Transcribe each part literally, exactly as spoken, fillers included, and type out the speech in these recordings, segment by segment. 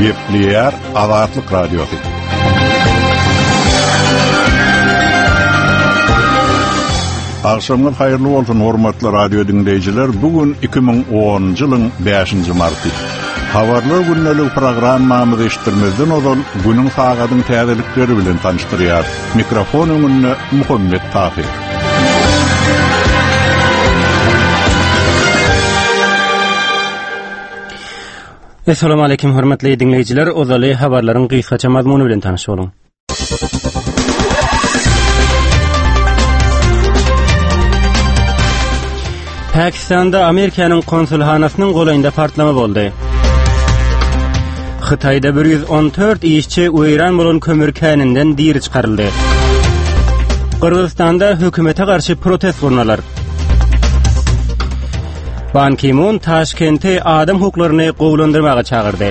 Gepleýär Azatlyk Radiosy. Agşamyňyz haýyrly bolsun hormatly radio diňleýjiler. Bu gün iki müň onunjy ýylyň bäşinji marty. Habarlar gündelik programmamyzy eşitdirmezden ozal günüň sagadyň täzelikleri bilen tanyşdyrýar. Mikrofon öňünde Muhammet Tahir. Esselamu aleyküm hormatly dinleýjiler. Ozaly habarlaryň gysgaça mazmuny bilen tanyş boluň. Pakistanda Amerikanyň konsulhanasynyň golaýynda partlama boldy. Hytaýda bir ýüz on dört işçi weýran bolan kömür käninden diri çykaryldy. Gyrgyzystanda hökümete garşy protest gurnalar. Ban Ki-mun Taşkenti adam hukuklaryny gowulandyrmaga çagyrdy.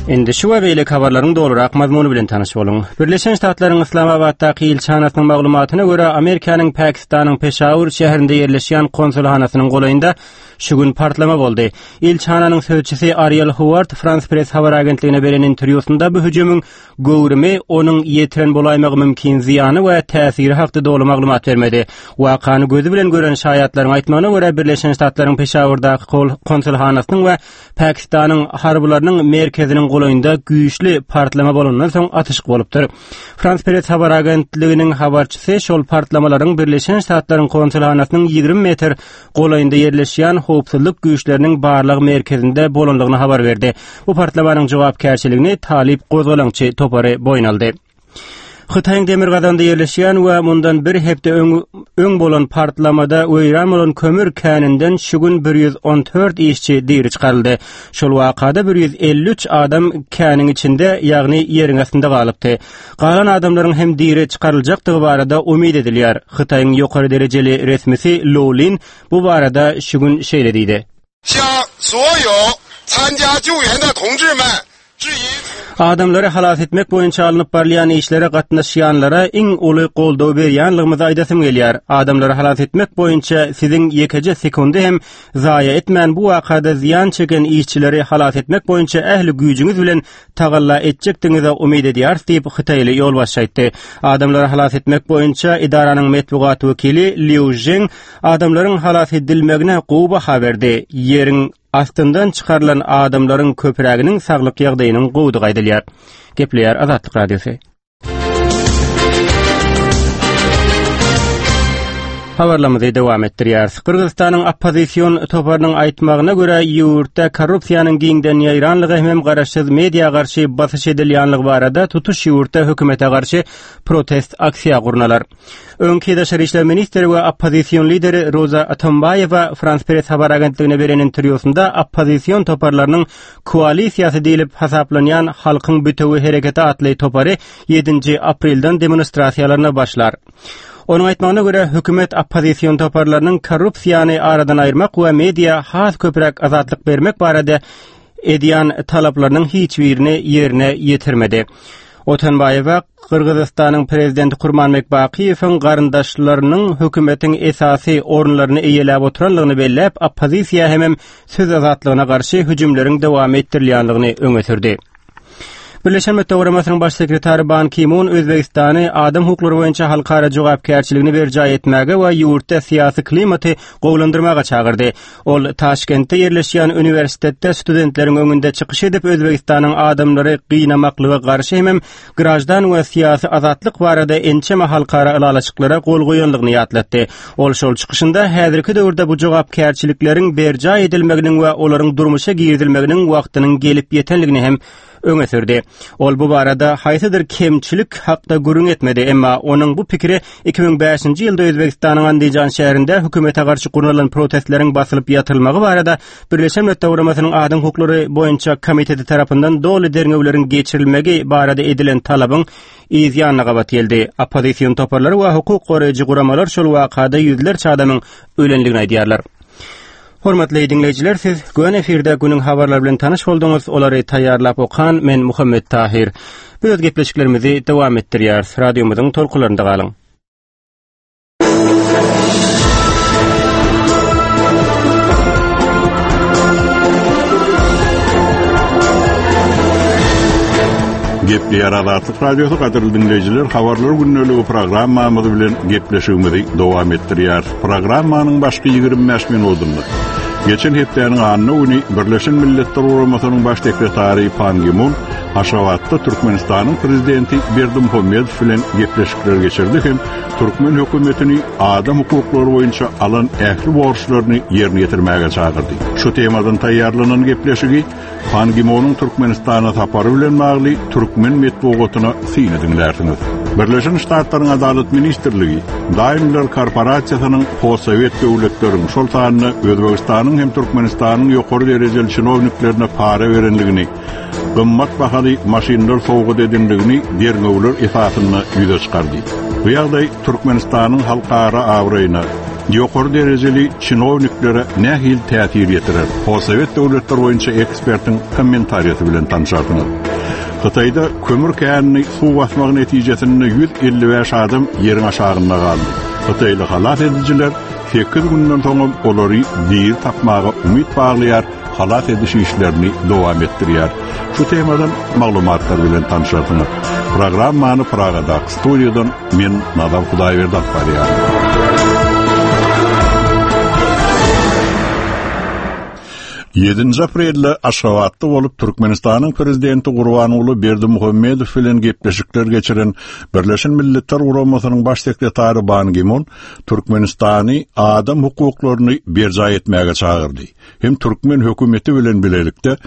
Indi şu we beýleki habarlaryň dolurak mazmuny bilen tanyş boluň. Birleşen Ştatlaryň Islamabaddaky ilçihanasynyň maglumatyna görä, Amerikanyň Pakistanyň Peşawur şäherinde ýerleşýän konsulhanasynyň golaýynda şu gün partlama boldy. Ilçihananyň sözçüsi Ariel Howard Frans Press habar agentligine beren interwýusynda bu hüjümiň göwrümi, onuň ýetiren bolaýmagy mümkin zyýany we täsiri hakda doly maglumat bermedi. Wakany gözi bilen gören şaýatlaryň aýtmagyna görä, Birleşen Ştatlaryň Peşawurdaky konsulhanasynyň we Pakistanyň harbylarynyň merkeziniň golaýynda güýçli partlama bolandan soň atyşyk bolupdyr. Frans Press habar agentliginiň habarçysy şol partlamalaryň Birleşen Ştatlaryň konsulhanasynyň ýigrimi metr golaýynda ýerleşýän howpsuzlyk güýçleriniň barlag merkezinde bolandygyny habar berdi. Bu partlamanyň jogapkärçiligini Talip gozgalaňçy topary boýun aldy. Hytaýyň demirgazygynda ýerleşýän we mundan bir hepde öň, öň bolan partlamada weýran bolan kömür käninden şu gün bir ýüz on dört işçi diri çykaryldy. Şol wakada bir ýüz elli üç adam käniň içinde, ýagny ýeriň astynda galypdy. Galan adamlaryň hem diri çykaryljakdygy barada umyt edilýär. Hytaýyň ýokary derejeli resmisi Lou Lin bu barada şu gün şeýle diýdi. Adamlary halas etmek boýunça alnyp barylýan işlere gatnaşýanlara iň uly goldaw berýänligimizi aýdasym gelýär. Adamlary halas etmek boýunça siziň ýekeje sekundy hem zaýa etmän bu wakada zyýan çeken işçileri halas etmek boýunça ähli güýjüňiz bilen tagalla etjekdigiňize umyt edýäris diýip Hytaýly ýolbaşçy aýtdy. Adamlary halas etmek boýunça edaranyň metbugat wekili Liu Zheng adamlaryň halas edilmegine gowy baha berdi. Ýeriň astyndan çykarylan adamlaryň köpräginiň saglyk ýagdaýynyň gowudygy aýdylýar. Gepleýär Azatlyk Radiosy. Habarlarymyzy dowam etdirýäris. Gyrgyzystanyň oppozision toparynyň aýtmagyna görä, ýurtda korrupsiýanyň giňden ýaýranlygy hem garaşsyz media garşy basyş edilýänligi barada tutuş ýurtda hökümete garşy protest aksiýa gurnalar. Öňki daşary işler ministri we oppozision lideri Roza Otunbaýewa Frans Press habar agentligine beren interwýusynda oppozision toparlarynyň koalisiýasy diýlip hasaplanýan Halkyň bütewi hereketi atly topary ýedinji aprelden demonstrasiýalaryna başlar. Onuň aýtmagyna görä, hökümet oppozision toparlarynyň korrupsiýany aradan aýyrmak we media has köpräk azatlyk bermek barada edýän talaplarynyň hiç birini ýerine ýetirmedi. Otunbaýewa Gyrgyzystanyň prezidenti Kurmanbek Bakiýewiň garyndaşlarynyň hökümetiň esasy orunlaryny eýeläp oturanlygyny belläp, oppozisiýa hemem söz azatlygyna garşy hüjümleriň dowam etdirilýänligini öňe sürdi. Birleşen Milletler Guramasynyň baş sekretary Ban Ki-mun Özbegistany adam hukuklary boýunça halkara jogapkärçiligini berjaý etmäge we ýurtda syýasy klimaty gowulandyrmaga çagyrdy. Ol Taşkentde ýerleşýän uniwersitetde studentleriň öňünde çykyş edip, Özbegistanyň adamlary gynamaklyga garşy hemem graždan we syýasy azatlyk barada ençeme halkara ylalaşyklara gol goýanlygyny ýatlatdy. Ol şol çykyşynda häzirki döwürde bu jogapkärçilikleriň berjaý edilmeginiň we olaryň durmuşa girizilmeginiň wagtynyň gelip ýetenligini hem öňe sürdi. Ol bu barada haýsydyr kemçilik hakda gürrüň etmedi, emma onuň bu pikiri iki müň bäşinji ýylda Özbegistanyň Andijan şäherinde hökümete garşy gurnalan protestleriň basylyp ýatyrylmagy barada Birleşen Milletler Guramasynyň Adam hukuklary boýunça komiteti tarapyndan doly derňewleriň geçirilmegi barada edilen talabyň yz ýanyna gabat geldi. Oppozision toparlar we hukuk goraýjy guramalar şol wakada ýüzlerçe adamyň ölenligini aýdýarlar. Hormatly dinleýjiler, siz göni efirde günüň habarlary bilen tanyş bolduňyz. Olary taýýarlap okan men Muhammet Tahir. Biz öz gepleşiklerimizi dowam etdirýäris. Radiomyzyň tolkunlarynda galyň. Gepleýär Azatlyk Radiosy gadyrly dinleýjiler, habarlar gündeligi programmamyz bilen gepleşigimizi dowam etdirýär. Programmanyň başky ýigrimi bäş minutynda geçen hepdäniň anna güni Birleşen Milletler Guramasynyň baş sekretary Pan Gi-mun Aşgabatda Türkmenistanyň prezidenti Berdimuhamedow bilen gepleşikler geçirdi hem türkmen hökümetini adam hukuklary boýunça alan ähli borçlaryny ýerine ýetirmäge çagyrdy. Şu temadan taýýarlanan gepleşigi Pan Gi-munyň Türkmenistana sapary bilen bagly türkmen metbugatyna syny dinlärsiňiz. Birleşen Ştatlaryň Adalat Ministrligi Daimler korporasiýasynyň postsowet döwletleriň, şol sanda Özbegistanyň hem Türkmenistanyň ýokary derejeli çinowniklerine para berenligini, gymmat bahaly maşynlar sowgat edindigini derňewler esasynda ýüze çykardy. Bu ýagdaý Türkmenistanyň halkara abraýyna, ýokary derejeli çinowniklere nähili täsir ýetirer? Postsowet döwletler boýunça ekspertiň kommentariýasy bilen tanışarsyňyz. Hytaýda kömür känini suw basmagy netijesinde ýüz elli bäş adam ýeriň aşagynda galdy. Hytaýly halas edijiler sekiz günden soňam olary diri tapmaga umyt baglaýar, halas ediş işlerini dowam etdirýär. Şu temadan maglumatlar bilen tanışarsyňyz. Programmany Pragadaky studiýadan men Nazar Hudaýberdi alyp barýaryn. Ýedinji aprelde Aşgabatda bolup Türkmenistanyň prezidenti Gurbanguly Berdimuhamedow bilen gepleşikler geçiren Birleşen Milletler Guramasynyň baş sekretary Ban Ki-mun Türkmenistany adam hukuklaryny berjaý etmäge çagyrdy. Hem türkmen hökümeti bilen bilelikde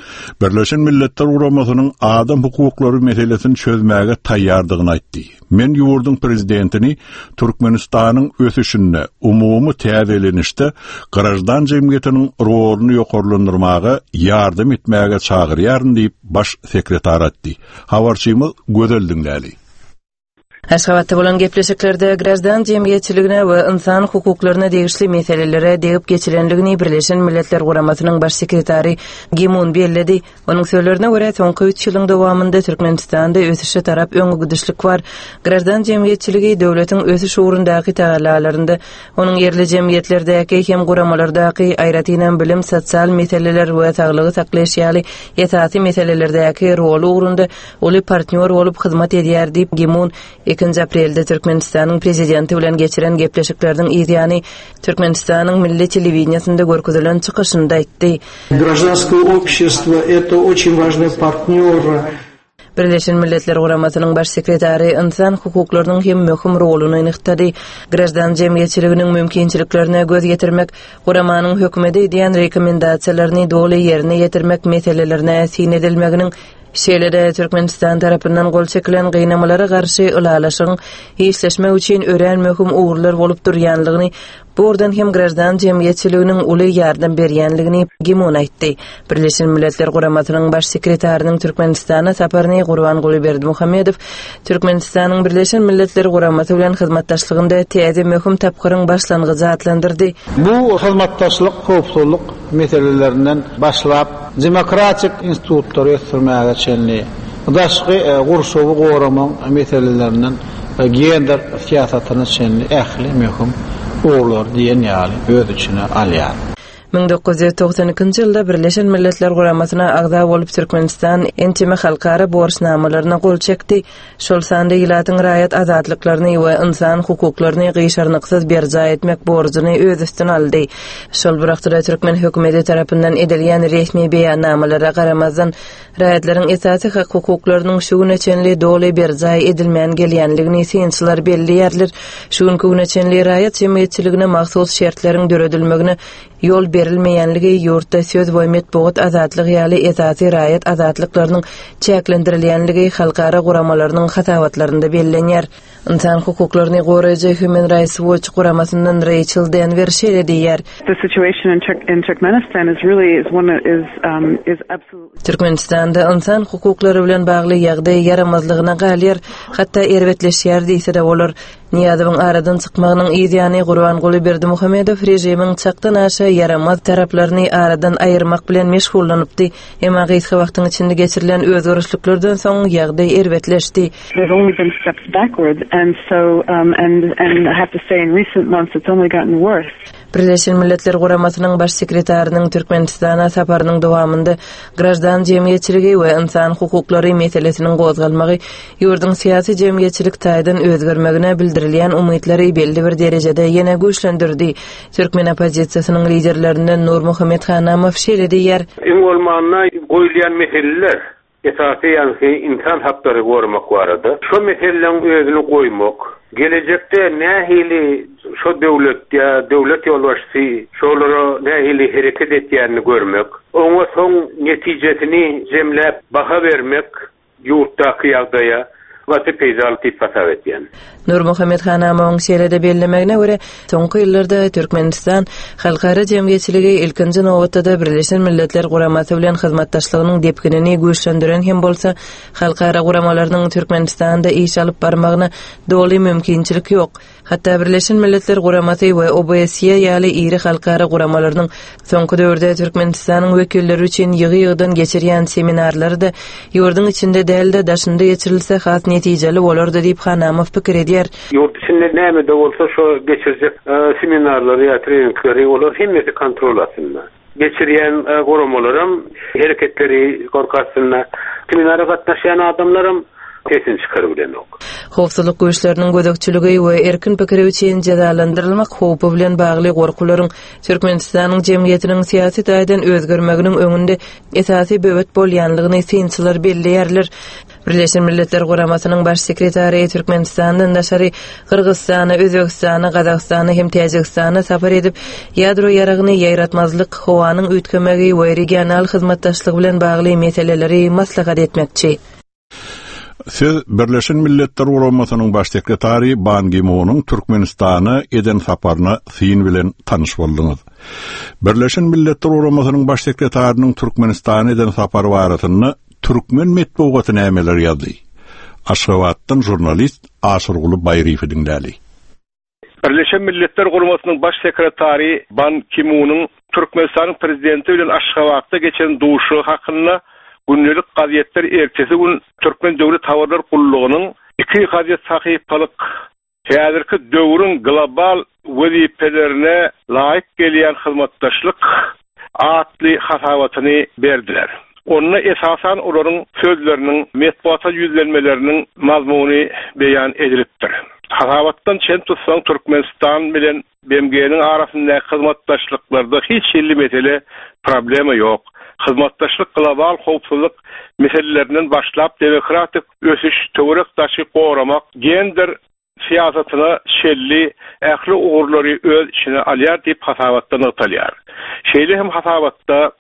Birleşen Milletler Guramasynyň adam hukuklary meselesini çözmäge taýýardygyny aýtdy. Men ýurduň prezidentini Türkmenistanyň ösüşinde, umumy täzelenişde grajdan jemgyýetiniň roluny ýokarlandyrmaga ýardam etmäge çagyrýaryn diýip baş sekretar aýtdy. Habarçymyz Gözel diňläli. Aşgabatda bolan gepleşiklerde grajdan jemgyýetçiligine we insan hukuklaryna degişli meselelere degip geçilenligini Birleşen Milletler Guramasynyň baş sekretary Gimun belledi. Onuň sözlerine görä soňky üç ýylyň dowamynda Türkmenistanda ösüşe tarap öňe gidişlik bar. Grajdan jemgyýetçiligi döwletiň ösüş ugrundaky tagallalarynda, onuň ýerli jemgyýetlerdäki hem guramalardaky aýratynam bilim, sosial meseleler we saglygy saklaýyş ýaly esasy meselelerdäki roly ugrunda uly partnýor bolup hyzmat edýär diýip Gimun ikinji aprelde Türkmenistanyň prezidenti bilen geçiren gepleşikleriniň yzýany Türkmenistanyň milli telewideniýasynda görkezilen çykyşynda aýtdy. Гражданское общество это очень важный партнер. Birleşen Milletler Guramasynyň baş sekretary insan hukuklarynyň hem möhüm roluny nygtady. Grajdan jemgyýetçiliginiň mümkinçiliklerine göz ýetirmek, guramanyň hökümete edýän rekomendasiýalaryny doly ýerine ýetirmek meselelerine syn edilmeginiň şeýle-de Türkmenistan tarapyndan gol çekilen gynamalara garşy ylalaşygyň işleşmek üçin örän möhüm ugurlar bolup durýanlygyny, bu ugurdan hem grajdan jemgyýetçiliginiň uly ýardam berýänligini Gimun aýtdy. Birleşen Milletler Guramasynyň baş sekretarynyň Türkmenistana saparyny Gurbanguly Berdimuhamedow Türkmenistanyň Birleşen Milletler Guramasy bilen hyzmatdaşlygynda täze möhüm tapgyryň başlangyjy atlandyrdy. Bu hyzmatdaşlyk howpsuzlyk meselelerinden başlap demokratik institutlary ösdürmäge çenli, daşky, e, gurşawy goramak meselelerinden, e, gender syýasatyna çenli ähli möhüm ugurlar diýen ýaly öz içine alýar. Müň dokuz ýüz togsan ikinji ýylda Birleşen Milletler Guramasyna agza bolup Türkmenistan ençeme halkara borçnamalaryna gol çekdi. Şol sanda ilatyň raýat azatlyklaryny we insan hukuklaryny gyşarnyksyz berjaý etmek borjuny öz üstüne aldy. Şol bir wagtda türkmen hökümeti tarapyndan edilýän resmi beýannamalara garamazdan raýatlaryň esasy hak hukuklarynyň şu güne çenli doly berjaý edilmän gelýänligini synçylar belleýärler. Şu günkü güne çenli raýat jemgyýetçiligine mahsus şertleriň döredilmegine ýol berilmeýänligi ýurtda söz we metbugat azatlygy ýaly esasy raýat azatlyklarynyň çäklendirilýänligi halkara guramalarynyň hasabatlarynda bellenýär. Insan hukuklaryny goraýjy Human Rights Watch guramasyndan Rachel Denver şeýle diýýär. The situation in Turk-, in Turkmenistan is really is one is, um, is absolutely Türkmenistanda insan hukuklary bilen bagly ýagdaý ýaramazlygyna galýar, hatda erbetleşýär diýse-de bolar. Niýazowyň aradan çykmagynyň yzýany Gurbanguly Berdimuhamedow režimiň çakdan aşa ýaramaz taraplaryny aradan aýyrmak bilen meşgullanypdy. Emma gysga wagtyň içinde geçirilen özgerişliklerden soň ýagdaý erbetleşdi. There's only been steps backwards, and so, um, and, and I have to say in recent months it's only gotten worse. Birleşen Milletler Guramasynyň baş sekretarynyň Türkmenistana saparynyň dowamynda graždan jemgyýetçiligi we insan hukuklary meselesiniň gozgalmagy ýurduň syýasy jemgyýetçilik taýdan özgermegine bildirilýän umytlary belli bir derejede ýene güýçlendirdi. Türkmen oppozisiýasynyň liderlerinden Nurmuhammet Hanamow şeýle diýýär. Iň bolmanda goýulýan meseleler esasy ýagny insan haklary goramak barada. Şu meseleleň özüni goýmak, gelejekde nähili şu döwlet ýa döwlet ýolbaşçysy şolara nähili hereket etýänini görmek, oňa soň netijesini jemläp baha bermek ýurtdaky ýagdaýa gaty peýdaly diýip hasap etýän. Nurmuhammet Hanamowyň şeýle-de bellemegine görä, soňky ýyllarda Türkmenistan halkara jemgyýetçiligi ilkinji nobatda Birleşen Milletler Guramasy bilen hyzmatdaşlygynyň depginini güýçlendiren hem bolsa, halkara guramalarynyň Türkmenistanda iş alyp barmagyna doly mümkinçilik ýok. Hatda Birleşen Milletler Guramasy we O B S E ýaly iri halkara guramalarynyň soňky döwürde Türkmenistanyň wekilleri üçin ýygy-ýygydan geçirýän seminarlary da ýurduň içinde däl-de daşynda geçirilse has netijeli bolardy diýip Hanamow pikir edýär. Ýurt içinde näme de bolsa şu geçirjek e, seminarlary ýa treningleri olar hemmesi kontrol astynda. Geçirýän e, guramalaram hereketleri gorky astynda. Seminara gatnaşýan adamlaram sesini çykaryp bilenok. Howpsuzlyk güýçleriniň gözegçiligi we erkin pikiri üçin jezalandyrylmak howpy bilen bagly gorkularyň Türkmenistanyň jemgyýetiniň syýasy taýdan özgermeginiň öňünde esasy böwet bolýanlygyny synçylar belleýärler. Birleşen Milletler Guramasynyň baş sekretary Türkmenistandan daşary Gyrgyzystana, Özbegistana, Gazagystana hem Täjigistana sapar edip, ýadro ýaragyny ýaýratmazlyk, howanyň üýtgemegi we regional hyzmatdaşlyk bilen bagly meseleleri maslahat etmekçi. Siz Birleşen Milletler Guramasynyň baş sekretary Ban Ki-munyň Türkmenistana eden saparyna syn bilen tanyş bolduňyz. Birleşen Milletler Guramasynyň baş sekretarynyň Türkmenistana eden sapary barasynda türkmen metbugaty nämeler ýazdy? Aşgabatdan žurnalist Aşyrguly Baýryýewi diňläli. Birleşen Milletler Guramasynyň baş sekretary Ban Ki-munyň Türkmenistanyň prezidenti bilen Aşgabatda geçen duşuşygy hakynda gündelik gazetler ertesi gün Türkmen Döwlet Habarlar Gullugynyň iki gazet sahypalyk häzirki döwrüň global wezipelerine laýyk gelýän hyzmatdaşlyk atly hasabatyny berdiler. Onda esasan olaryň sözleriniň metbuata ýüzlenmeleriniň mazmuny beýan edilipdir. Hasabatdan çen tutsaň Türkmenistan bilen B M G-niň arasyndaky hyzmatdaşlyklarda hiç hili mesele, problema ýok. Hyzmatdaşlyk global howpsuzlyk meselelerinden başlap demokratik ösüş, töwerek daşy goramak, gender syýasatyna çenli ähli ugurlary öz içine alýar diýip hasabatda nygtalýar. Şeýle hem hasabatda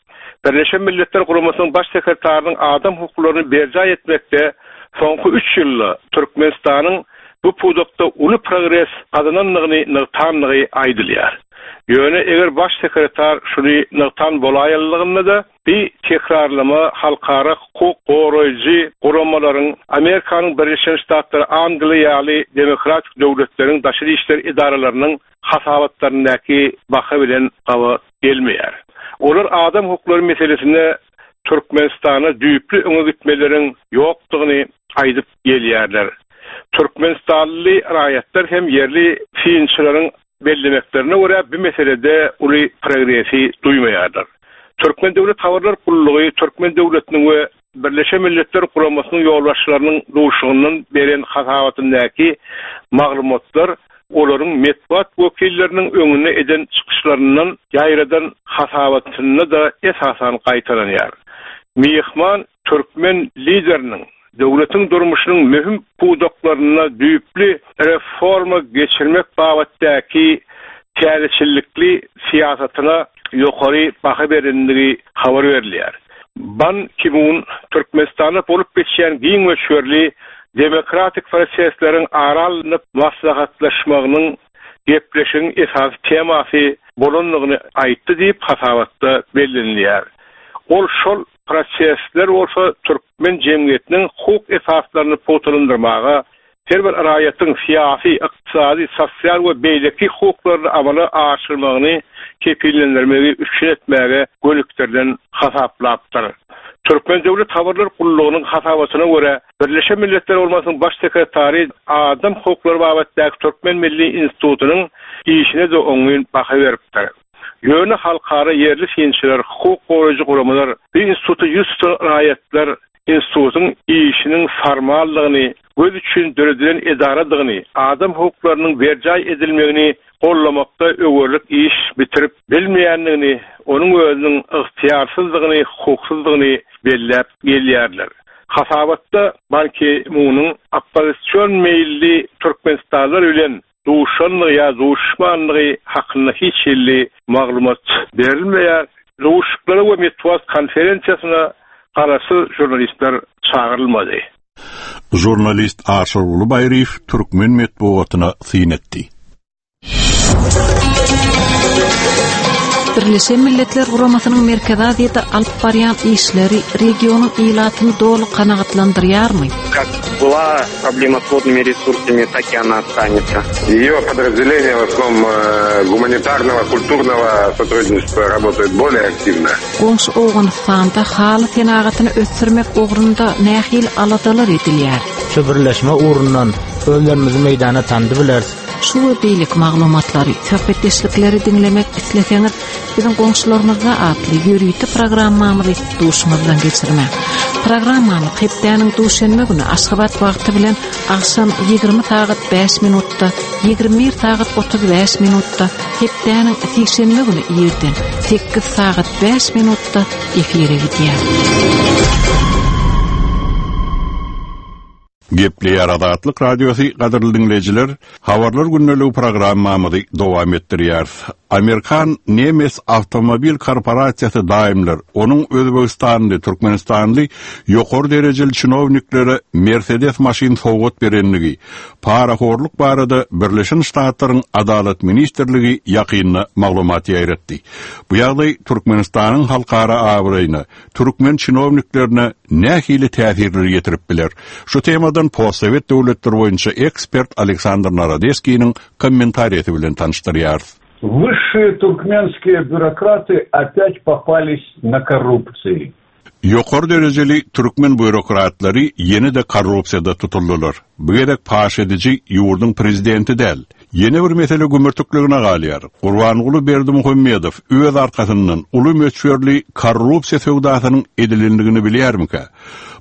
Birleşen Milletler Guramasynyň baş sekretarynyň adam hukuklaryny berjaý etmekde soňky üç ýylda Türkmenistanyň bu pudakda uly progres gazanandygyny nygtandygy aýdylýar. Ýöne eger baş sekretar şuny nygtan bolaýanlygynda-da bir tekrarlama halkara hukuk goraýjy guramalaryň Amerikanyň Birleşen Ştatlary, Angliýa ýaly demokratik döwletleriň daşary işler edaralarynyň hasabatlaryndaky baha bilen gabat gelmeýär. Olar adam hukuklary meselesinde Türkmenistana düýpli öňe gitmeleriň ýokdugyny aýdyp gelýärler. Türkmenistanly raýatlar hem ýerli synçylaryň bellemeklerine görä bu meselede uly progresi duýmaýarlar. Türkmen Döwlet Habarlar Gullugy Türkmen döwletiniň we Birleşen Milletler Guramasynyň ýolbaşçylarynyň duşuşygyndan beren hasabatyndaky maglumatlar olaryň metbuat wekilleriniň öňünde eden çykyşlaryndan ýaýradan hasabatynda da esasan gaýtalanýar. Myhman türkmen lideriniň döwletiň durmuşynyň möhüm pudaklarynda düýpli reforma geçirmek babatdaky täzeçillikli syýasatyna ýokary baha berendigi habar berilýär. Ban Ki-mun Türkmenistanda bolup geçýän giň möçberli demokratik prosesleriň ara alnyp maslahatlaşmagynyň gepleşigiň esasy temasy bolandygyny aýtdy diýip hasabatda bellenilýär. Ol şol prosesler bolsa türkmen jemgyýetiniň hukuk esaslaryny pugtalandyrmaga, her bir raýatyň syýasy, ykdysady, sosial we beýleki hukuklaryny amala aşyrmagyny kepillendirmegi üpjün etmäge gönükdirilen hasaplapdyr. Türkmen Döwlet Habarlar Gullugynyň hasabatyna görä, Birleşen Milletler Guramasynyň baş sekretary adam hukuklary babatdaky Türkmen Milli institutynyň işine-de oňyn baha beripdir. Ýöne halkara ýerli synçylar, hukuk goraýjy guramalar, bu instituta ýüz tutan raýatlar institutyň işiniň formallygyny, göz üçin döredilen edaradygyny, adam hukuklarynyň berjaý edilmegini gollamakda öwerlik iş bitirip bilmeýändigini, onuň özüniň ygtyýarsyzlygyny, hukuksyzlygyny belläp gelýärler. Hasabatda Ban Ki-munyň oppozision meýilli türkmenistanlylar bilen duşanlygy ýa duşmanlygy hakynda hiç hili maglumat berilmeýär. Duşuşyklara we metbugat konferensiýasyna garaşsyz žurnalistler çagyrylmady. Žurnalist Aşyrguly Baýryýew türkmen metbugatyna syn etdi. Birleşen Milletler Guramasynyň Merkezi Aziýada alyp barýan işleri regionyň ilatyny doly kanagatlandyrýarmy? Как была проблема с водными ресурсами, так и она останется. Ее подразделения в основном э, гуманитарного, культурного сотрудничества работают более активно. Goňşy Owganystanda haly senagatyny ösdürmek ugrunda nähili aladalar edilýär? Şu birleşme ugrundan özlerimizi meýdana tandy bileris. Şu we beýleki maglumatlary, söhbetdeşlikleri diňlemek isleseňiz, biziň goňşularymyzda atly ýörite programmamyzy duşuňyzdan geçirmäň. Programmamyz hepdäniň duşenbe güni Aşgabat wagty bilen agşam ýigrimi sagat bäş minutda, ýigrimi bir sagat otuz bäş minutda, hepdäniň sişenbe güni irden sekiz sagat bäş minutda efire gidýär. Gepleýär Azatlyk Radiosy gadyrly diňleýjiler, habarlar gündeligi programmamyzy dowam etdirýär. Amerikan Nemes Awtomobil Korporasiýasy Daimler, onuň Özbegistanly, Türkmenistanly ýokary derejeli çinowniklere Mercedes maşyn sowgat berenligi, parahorluk barada Birleşen Ştatlaryň Adalat Ministrligi ýakynda maglumat ýaýratdy. Bu ýagdaý Türkmenistanyň halkara abraýyna, türkmen çinowniklerine nähili täsirleri ýetirip biler? Şu temadan postsowet döwletleri boýunça ekspert Aleksandr Narodeskiniň kommentariýasy bilen tanyşdyrýarys. Высшие туркменские бюрократы опять попались на korrupsiýa. Ýokary derejeli türkmen býurokratlary ýene-de korrupsiýada tutuldylar. Bu gezek paş ediji ýurduň prezidenti däl. Ýene bir mesele gümürtikligine galýar. Gurbanguly Berdimuhamedow öz arkasyndan uly möçberli korrupsiýa söwdasynyň edilendigini bilýärmikä?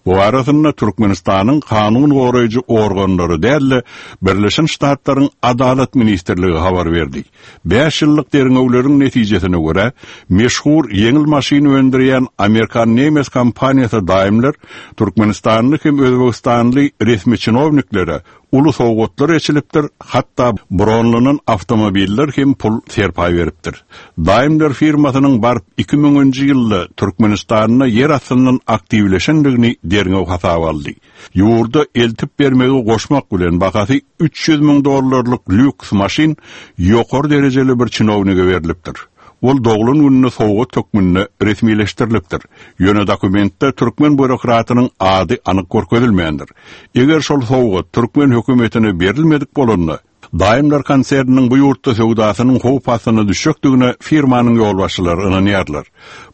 Bu arasynda Türkmenistanyň kanun goraýjy organlary däl-de Birleşen Ştatlaryň Adalat Ministrligi habar berdi. Bäş ýyllyk derňewleriň netijesine görä, meşhur ýeňil maşyn öndürýän Amerikan Nemes kompaniýasy Daimler Türkmenistanly hem Özbegistanly resmi çinowniklere uly sowgatlar eçilipdir, hatda bronlanan awtomobiller hem pul serpaý beripdir. Daimler firmasynyň baryp iki müňünji ýylda Türkmenistanda ýer astyndan aktiwleşendigini derňew hasaba aldy. Ýurda eltip bermegi goşmak bilen bahasy üç ýüz müň dollarlyk lýuks maşyn ýokary derejeli bir çinownige berilipdir. Ol doglan gününe sowgat hökmünde resmileşdirilipdir. Ýöne dokumentde türkmen býurokratynyň ady anyk görkezilmändir. Eger şol sowgat türkmen hökümetine berilmedik bolanda, Daimler konserniniň bu ýurtda söwdasynyň howp astyna düşjekdigine firmanyň ýolbaşçylary ynanýarlar.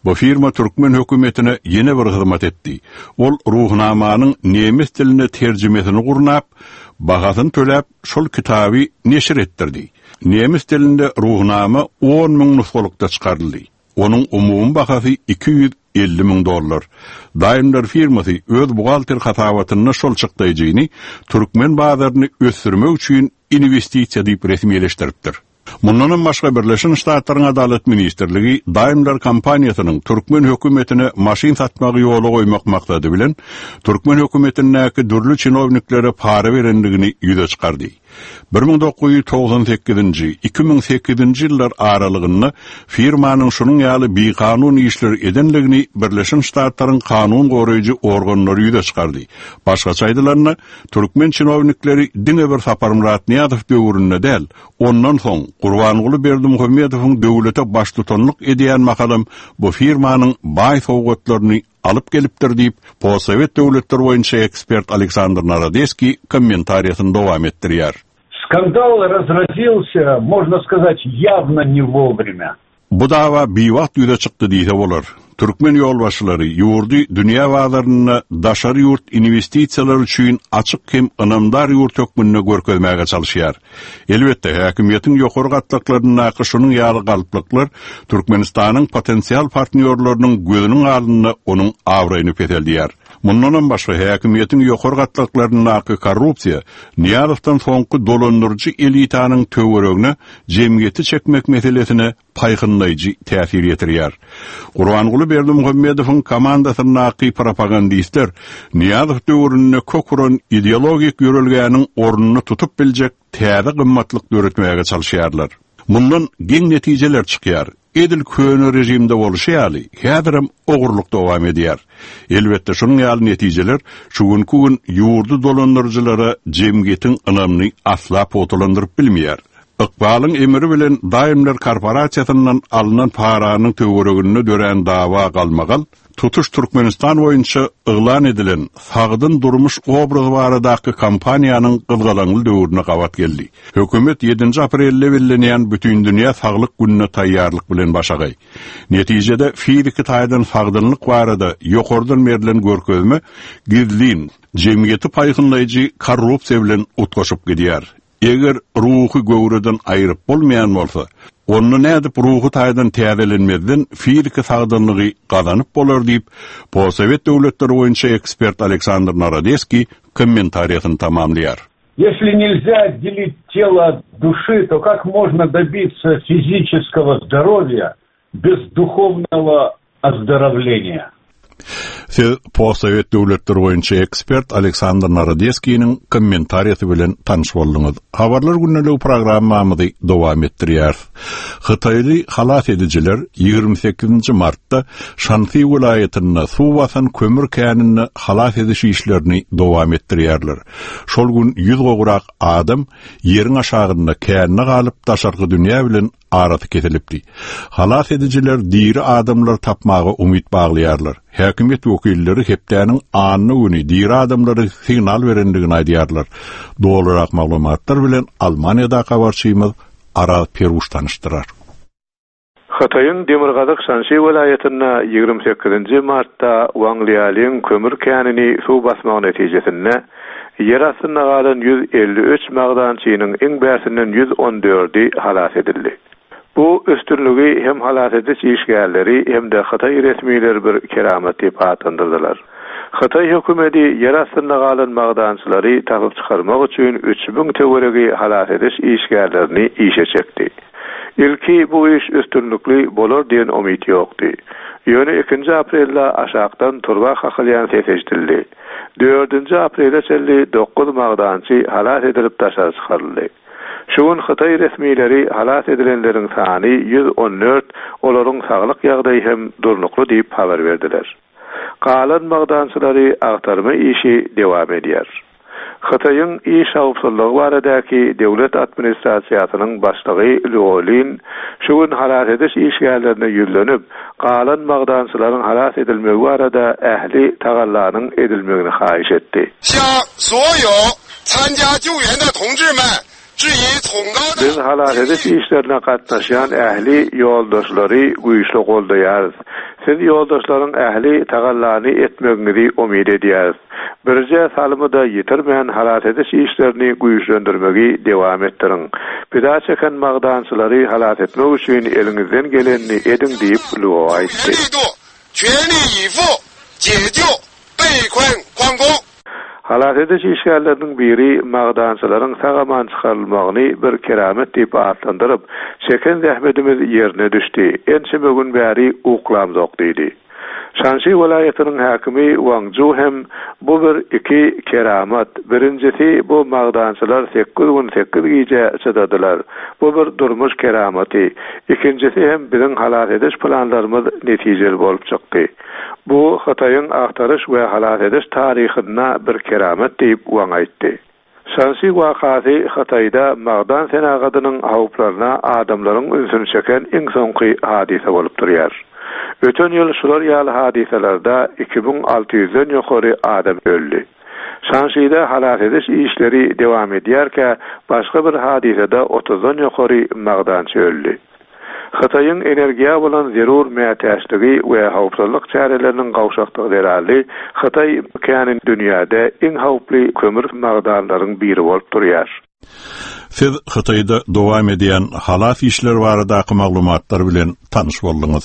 Bu firma türkmen hökümetine ýene bir hyzmat etdi. Ol ruhnamanyň nemes diline terjimesini gurnap, bahasyny töläp, şol kitaby neşir etdirdi. Nemes dilinde ruhnama on müň nusgalykda çykaryldy. Onuň umumy bahasy iki ýüz elli müň dollar. Daimler firmasy öz buhgalter hasabatynda şol çykdaýjyny türkmen bazaryny ösdürmek üçin investisiýa diýip resmileşdiripdir. Mundanam başga Birleşen Ştatlaryň Adalat Ministrligi Daimler kompaniýasynyň türkmen hökümetine maşyn satmagy ýola goýmak maksady bilen türkmen hökümetindäki dürli çinowniklere para berendigini ýüze çykardy. Bir müň dokuz ýüz togsan sekizinji, iki müň sekizinji ýyllar aralygynda firmanyň şunuň ýaly bikanun işler edenligini Birleşen Ştatlaryň kanun goraýjy organlary ýüze çykardy. Başgaça aýdylanda, türkmen çinownikleri diňe bir Saparmyrat Nyýazow döwründe däl, ondan soň Gurbanguly Berdimuhamedowyň döwlete baştutanlyk edýän makalam bu firmanyň baý sowgatlaryny alyp gelipdir diýip, postsowet döwletleri boýunça ekspert Aleksandr Narodeskiý kommentariýasyny dowam etdirýär. Skandal разразился, можно сказать, явно не вовремя. Bu dawa biwagt ýüze çykdy diýse bolar. Türkmen ýolbaşçylary ýurdy dünýä bazarynda daşary ýurt inwestisiýalar üçin açyk hem ynamdar ýurt hökmünde görkezmäge çalışýar. Elbetde, häkimiýetiň ýokary gatlaklaryndaky şunuň ýaly galplyklar Türkmenistanyň potensial partnýorlarynyň gözüniň alnynda onuň abraýyny peseldýär. Mundanam başga häkimiýetiň ýokary gatlaklaryndaky korrupsiýa Nyýazowdan soňky dolandyryjy elitanyň töweregine jemgyýeti çekmek meselesine paýhynlaýjy täsir ýetirýär. Gurbanguly Berdimuhamedowyň komandasyndaky propagandistler Nyýazow döwründe kök uran ideologik ýörelgäniň ornuny tutup biljek täze gymmatlyk döretmäge çalışýarlar. Mundan geň netijeler çykýar. Edil köne rejimde bolşy ýaly, häzirem ogurlyk dowam edýär. Elbetde şunuň ýaly netijeler şu günkü gün ýurdy dolandyryjylara jemgyýetiň ynamyny asla pugtalandyryp bilmeýär. Ykbalyň emri bilen Daimler korporasiýasyndan alynan paranyň töwereginde dörän dawa galmagal, tutuş Türkmenistan boýunça yglan edilen sagdyn durmuş obrazy baradaky kampaniýanyň gyzgalaňly döwrüne gabat geldi. Hökümet ýedinji aprelde bellenýän Bütindünýä saglyk gününe taýýarlyk bilen başagaý. Netijede fiziki taýdan sagdynlyk barada ýokardan berlen görkezme gizlin, jemgyýeti paýhynlaýjy korrupsiýa bilen utgaşyp gidýär. Eger ruhy göwreden aýryp bolmaýan bolsa, onda nädip ruhy taýdan täzelenmezden fiziki sagdynlygy gazanyp bolar diýip, Posowet döwletleri boýunça ekspert Aleksandr Narodeskiý kommentariýasyny tamamlaýar. Если нельзя отделить тело от души, то как можно добиться физического здоровья без духовного оздоровления? Siz Posowet döwletleri boýunça ekspert Aleksandr Narodeskiniň kommentariýasy bilen tanyş bolduňyz. Habarlar gündelik programmamyzy dowam etdirýäris. Hytaýly halas edijiler ýigrimi sekizinji martda Şansi welaýatynda suw basan kömür käninde halas ediş işlerini dowam etdirýärler. Şol gün ýüz gowrak adam ýeriň aşagynda känine galyp daşarky dünýä bilen arasy kesilipdi. Halas edijiler diri adamlar tapmaga umyt baglaýarlar. Häkimiýet wekilleri hepdäniň anna güni diri adamlary signal berendigini aýdýarlar. Dolurak maglumatlar bilen Almaniýada habarçymyz Araz Peruş tanyşdyrar. Hytaýyň Demirgazyk Şanşi welaýatynda ýigrimi sekizinji martda Wanglialyň kömür känini suw basmagy netijesinde ýer astynda galan ýüz elli üç magdançynyň iň bärsinden ýüz on dördi halas edildi. Bu üstünligi hem halas ediş işgärleri hem de Hytaý resmileri bir keramat diýip atlandyrdylar. Hytaý hökümeti ýer astynda galan magdançylary tapyp çykarmak üçin üç müň töweregi halas ediş işgärlerini işe çekdi. Ilki bu iş üstünlikli bolar diýen umyt ýokdy. Ýöne ikinji aprelde aşakdan turba kakylýan ses eşidildi. Dördünji aprelde çenli dokuz magdançy halas edilip daşary çykaryldy. Şu gün Hytaý resmileri halas edilenleriň sany ýüz on dört, olaryň saglyk ýagdaýy hem durnukly diýip habar berdiler. Galan magdançylary agtarma işi dowam edýär. Hytaýyň iş howpsuzlygy baradaky döwlet administrasiýasynyň başlygy Luo Lin şu gün halas ediş işgärlerine ýüzlenip, galan magdançylaryň halas edilmegi barada ähli tagallanyň edilmegini haýyş etdi. Biz halas ediş işlerine gatnaşýan ähli ýoldaşlary güýçli goldaýarys. Siz ýoldaşlaryň ähli tagallany etmegiňizi umyt edýäris. Birje salymy da ýitirmän halas ediş işlerini güýçlendirmegi dowam etdiriň. Pida çeken magdançylary halas etmek üçin eliňizden gelenini ediň diýip Luo aýtdy. Halas ediş işgärleriniň biri magdançylaryň sag-aman çykarylmagyny bir keramet diýip atlandyryp, çeken zähmetimiz ýerine düşdi. Ençeme gün bäri uklamzok diýdi. Şanşi welaýatynyň häkimi Wang Zhu hem bu bir iki keramat. Birincisi bu magdançylar sekiz gün sekiz gije çydadylar. Bu bir durmuş keramaty. Ikincisi hem biziň halas ediş planlarymyz netijeli bolup çykdy. Bu Hytaýyň agtaryş we halas ediş taryhynda bir keramat diýip Wang aýtdy. Şanşi wakasy Hytaýda magdan senagatynyň howplaryna adamlaryň ünsüni çeken iň soňky hadysa bolup durýar. Öten ýyl şular ýaly hadysalarda iki müň alty ýüzden ýokary adam öldi. Şanşide halas ediş işleri dowam edýärkä başga bir hadysada otuzdan ýokary magdançy öldi. Hytaýyň energiýa bolan zerur mätäçligi we howpsuzlyk çäreleriniň gowşaklygy zerarly Hytaý käni dünýäde iň howply kömür magdanlaryň biri bolup durýar. Siz Hytaýda dowam edýän halas işleri baradaky maglumatlar bilen tanyş bolduňyz.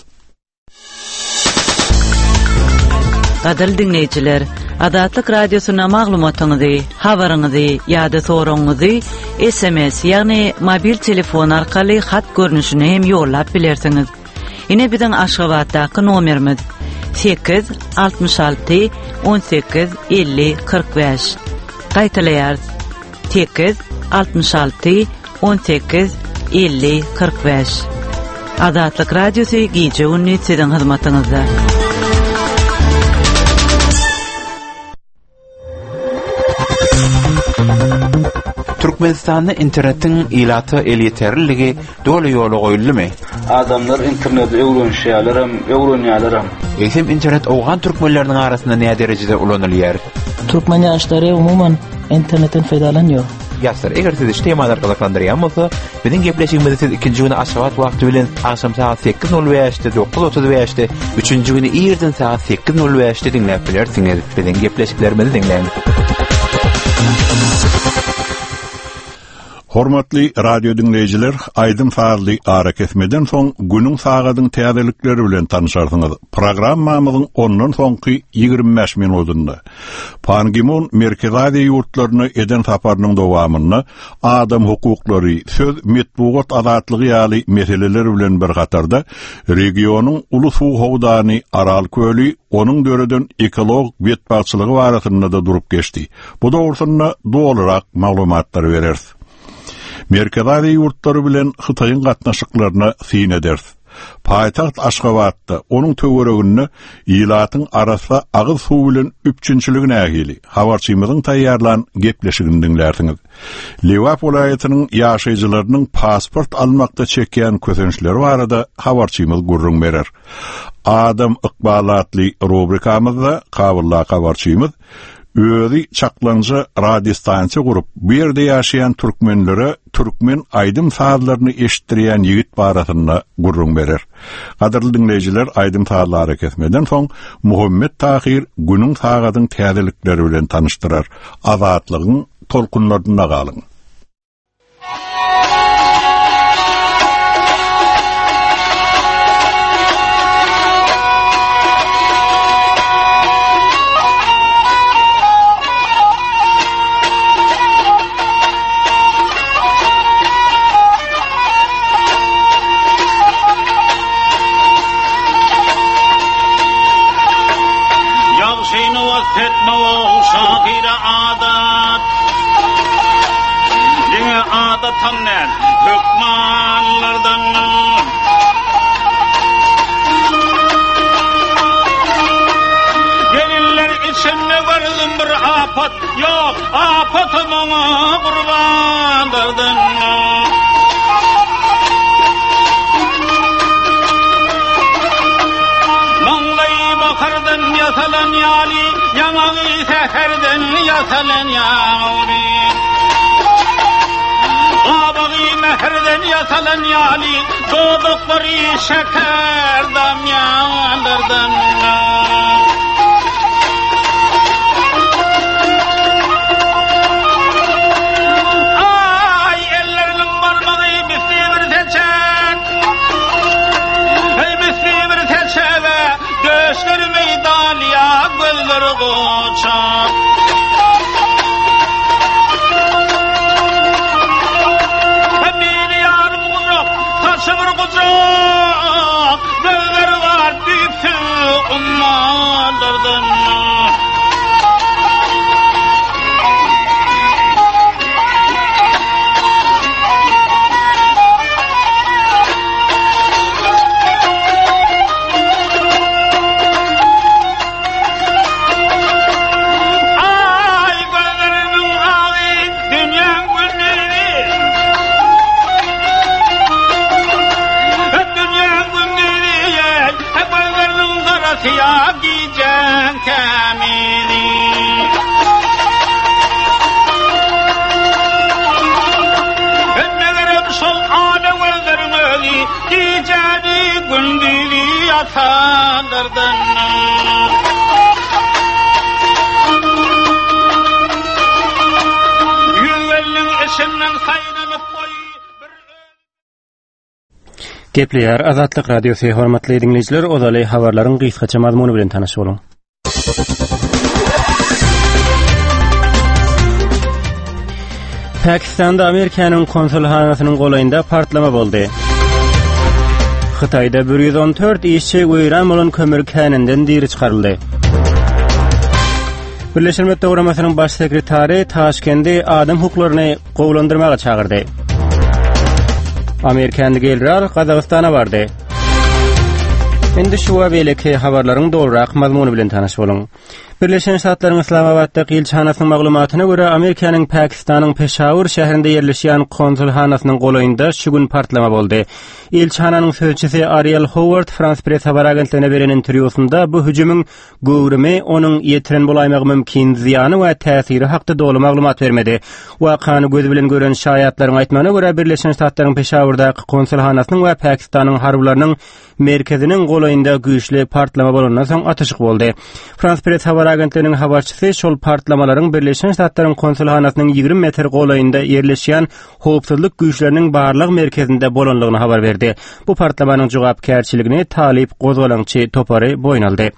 Gadyrly diňleýjiler, Azatlyk Radiosyna maglumatyňyzy, habaryňyzy ýa-da soragyňyzy S M S, ýagny mobil telefon arkaly hat görnüşinde hem ýollap bilersiňiz. Ine biziň Aşgabatdaky nomerimiz: sekiz altmyş alty on sekiz elli kyrk bäş. Gaýtalaýarys: sekiz altmyş alty on sekiz elli kyrk bäş. Azatlyk Radiosy gije gündüz siziň hyzmatyňyzda. Türkmenistanda internetiň ilata elýeterliligi doly ýola goýuldymy? Adamlar interneti öwrenişýärler hem, öwrenýärler hem. Eýsem internet owgan türkmenleriniň arasynda näme derejede ulanylýar? Türkmen ýaşlary umuman internetden peýdalanýar. Ýaşlar, eger sizi şu temalar gyzyklandyrýan bolsa, biziň gepleşigimizi siz ikinji güni Aşgabat wagty bilen agşam saat sekiz nol bäşde, dokuz otuz bäşde, üçünji güni irden saat sekiz nol bäşde diňläp bilersiňiz. Biziň gepleşiklerimizi diňläň. Hormatly radio diňleýjiler, aýdym sazly ara kesmeden soň günüň sagadyň täzelikleri bilen tanışarsyňyz. Programmamyzyň ondan soňky ýigrimi bäş minutynda Pan Gi-mun Merkezi Aziýa ýurtlaryna eden saparynyň dowamynda adam hukuklary, söz, metbugat azatlygy ýaly meseleler bilen bir hatarda regionyň uly suw howdany Aral köli, onuň döreden ekologik betbagtçylygy barasynda da durup geçdi. Bu dogrusynda dolurak maglumatlar bereris. Merkezi Aziýa ýurtlary bilen Hytaýyň gatnaşyklaryna syn ederis. Paýtagt Aşgabatda, onuň töwereginde ilatyň arassa agyz suw bilen üpjünçiligi nähili? Habarçymyzyň taýýarlan gepleşigini diňlärsiňiz. Lebap welaýatynyň ýaşaýjylarynyň pasport almakda çekýän kösençleri barada habarçymyz gürrüň berer. Adam ykbaly atly rubrikamyzda Kabulda habarçymyz özi çaklaňja radiostansiýa gurup, bu ýerde ýaşaýan türkmenlere türkmen aýdym sazlaryny eşitdirýän ýigit barasynda gürrüň berer. Gadyrly diňleýjiler, aýdym sazly ara kesmeden soň Muhammet Tahir günüň sagadyň täzelikleri bilen tanyşdyrar. Azatlygyň tolkunlarynda galyň. Ýagşyny wasp şahyra adat. Diňe adatam däl, hökmanlardan. Gelinler içinde gördüm bir apat, ýok, apatym oňa gurbanlardan. Maňlaýy bakardan ýasalan ýaly, ýaňagy säherden ýasalan ýaly. Gabagy mähirden ýasalan ýaly, dodaklary şeker damýanlardan. Ay elleriniň barmagy misli bir seçek. Ey misli bir seçeve, döşleri meydaniya, gözleri goçak. Biri yarım kucak, saçı bir kucak, gözleri var düýpsüz ummanlardan. Ay gözleriniň agy dünýäň gündüzi. Dünýäň gündüzi, gözleriniň garasy ýa gijäň tämizi. Megerem şol ala gözleriň özi gijäň Ýatanlardan. Ýüz elliň içinden saýlanyp goý. Gepleýär Azatlyk Radiosy, hormatly diňleýjiler, ozaly habarlaryň gysgaça mazmuny bilen tanyş boluň. Pakistanda Amerikanyň konsulhanasynyň golaýynda partlama boldy. Hytaýda bir ýüz on dört işçi weýran bolan kömür käninden diri çykaryldy. Birleşen Milletler Guramasynyň Baş sekretary Taşkendi adam hukuklaryny gowulandyrmaga çagyrdy. Amerikanly general Gazagystana bardy. Indi şu we beýleki habarlaryň dolurak mazmuny bilen tanyş boluň. Birleşen Ştatlaryň Yslamabatdaky ilçihanasynyň maglumatyna görä, Amerikanyň Pakistanyň Peşawur şäherinde ýerleşýän konsulhanasynyň golaýynda şu gün partlama boldy. Ilçihananyň sözçüsi Ariel Howard Frans Press habar agentligine beren interwýusynda bu hüjümiň göwrümi, onuň ýetiren bolaýmagy mümkin zyýany we täsiri hakda doly maglumat bermedi. Wakany gözi bilen gören şaýatlaryň aýtmagyna görä, Birleşen Ştatlaryň Peşawurdaky konsulhanasynyň we Pakistanyň harbylarynyň merkeziniň golaýynda güýçli partlama bolandan soň atyşyk boldy. Frans Press habar agentliginiň habarçysy şol partlamalaryň Birleşen Ştatlaryň konsulhanasynyň ýigrimi metr golaýynda ýerleşýän howpsuzlyk güýçleriniň barlag merkezinde bolanlygyny habar berdi. Bu partlamanyň jogapkärçiligini Talyp gozgalaňçy topary boýun aldy.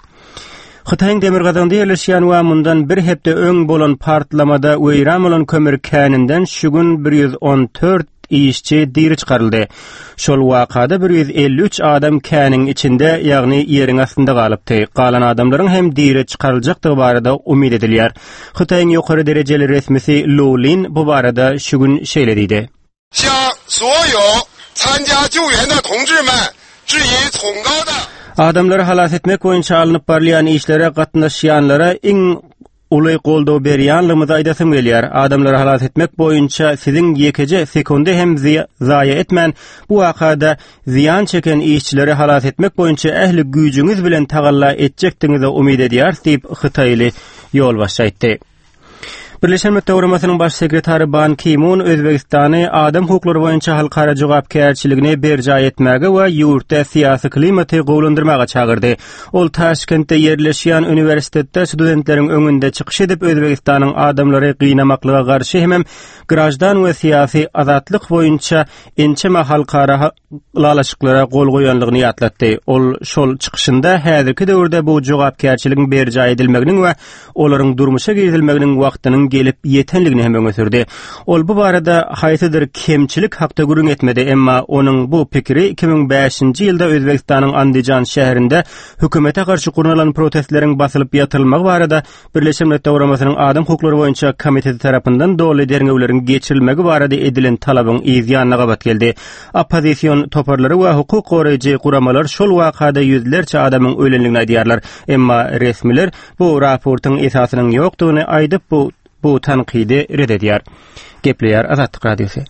Hytaýyň demirgazygynda ýerleşýän we mundan bir hepde öň bolan partlamada weýran bolan kömür käninden şu gün bir ýüz on dört işçi diri çykaryldy. Şol wakada bir ýüz elli üç adam käniň içinde, ýagny ýeriň astynda galypdy. Galan adamlaryň hem diri çykaryljakdygy barada umyt edilýär. Hytaýyň ýokary derejeli resmisi Lu Lin bu barada şu gün şeýle diýdi. Adamlary halas etmek boýunça alnyp barylýan işlere gatnaşýanlara iň uly goldaw berýänligimizi aýdasym gelýär. Adamlary halas etmek boýunça siziň ýekeje sekundy hem zaýa etmän, bu wakada zyýan çeken işçileri halas etmek boýunça ähli güýjüňiz bilen tagalla etjekdigiňize umyt edýäris diýip, hytaýly ýolbaşçy aýtdy. Birleşen Milletler Guramasynyň Baş sekretary Ban Ki-mun Özbegistany adam hukuklary boýunça halkara jogapkärçiligini berjaý etmäge we ýurtda syýasy klimaty gowulandyrmaga çagyrdy. Ol Taşkentde ýerleşýän uniwersitetde studentleriň öňünde çykyş edip, Özbegistanyň adamlary gynamaklyga garşy hemem graždan we syýasy azatlyk boýunça ençeme halkara ylalaşyklara gol goýanlygyny ýatlatdy. Ol şol çykyşynda häzirki döwürde bu jogapkärçiligiň berjaý edilmeginiň we olaryň durmuşa girizilmeginiň wagtynyň gelip ýetenligini hem öňe sürdi. Ol bu barada haýsydyr kemçilik hakda gürrüň etmedi, emma onuň bu pikiri iki müň bäşinji ýylda Özbegistanyň Andijan şäherinde hökümete garşy gurnalan protestleriň basylyp ýatyrylmagy barada Birleşen Milletler Guramasynyň Adam hukuklary boýunça komiteti tarapyndan doly derňewleriň geçirilmegi barada edilen talabyň yz ýanyna gabat geldi. Oppozision toparlary we hukuk goraýjy guramalar şol wakada ýüzlerçe adamyň ölenligini aýdýarlar. Emma resmiler bu raportyň esasynyň ýokdugyny aýdyp, bu, bu tankydy red edýär. Gepleýär Azatlyk Radiosy.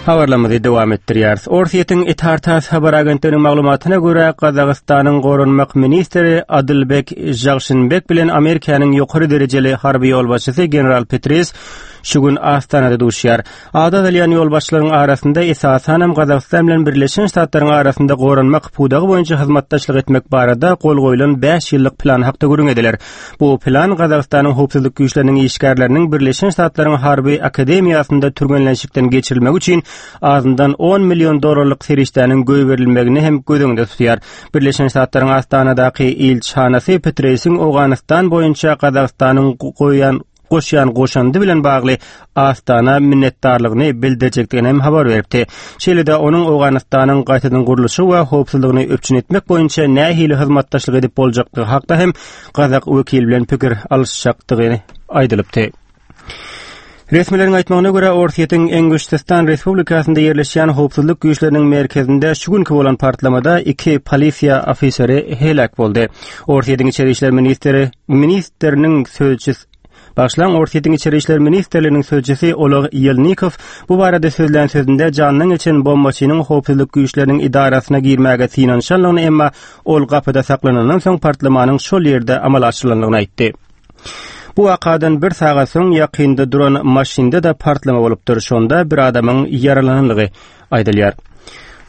Habarlarymyzy dowam etdirýäris. Orsýetiň Itar-Tass habar agentliginiň maglumatyna görä, Gazagystanyň goranmak ministri Adylbek Žagşynbek bilen Amerikanyň ýokary derejeli harby ýolbaşçysy general Petris şu gün Astanada duşýar. Ady agzalýan ýolbaşçylaryň arasynda esasanam Gazagystan bilen Birleşen Ştatlaryň arasynda goranmak pudagy boýunça hyzmatdaşlyk etmek barada gol goýlan bäş ýyllyk plan hakda gürrüň ediler. Bu plan Gazagystanyň howpsuzlyk güýçleriniň işgärleriniň Birleşen Ştatlaryň harby akademiýasynda türgenleşikden geçirilmegi üçin azyndan on million dollarlyk serişdäniň goýberilmegini hem göz öňünde tutýar. Birleşen Ştatlaryň Astanadaky ilçihanasy Petresiň Owganystan boýunça Gazagystanyň goýan goşýan goşandy bilen bagly Astana minnetdarlygyny bildirjekdigini hem habar beripdi. Şeýle-de onuň Owganystanyň gaýtadan gurluşy we howpsuzlygyny üpjün etmek boýunça nähili hyzmatdaşlyk edip boljakdygy hakda hem gazak wekili bilen pikir alyşjakdygy aýdylypdy. Resmileriň aýtmagyna görä, Orsýetiň Enguştistan Respublikasynda ýerleşýän howpsuzlyk güýçleriniň merkezinde şu günki bolan partlamada iki polisiýa ofiseri heläk boldy. Orsýetiň İçeri işler ministri ministriniň sözçüsi Başlan Orsýetiň İçeri işler ministrliginiň sözçüsi Oleg Ýelnikow bu barada sözlän sözünde jandan geçen bombaçynyň howpsuzlyk güýçleriniň idarasyna girmäge synanyşanlygyny, emma ol gapyda saklanandan soň partlamanyň şol ýerde amala aşyrylandygyny aýtdy. Bu wakadan bir sagat soň ýakynda duran maşynda da partlama bolupdyr. Şonda bir adamyň ýaralananlygy aýdylýar.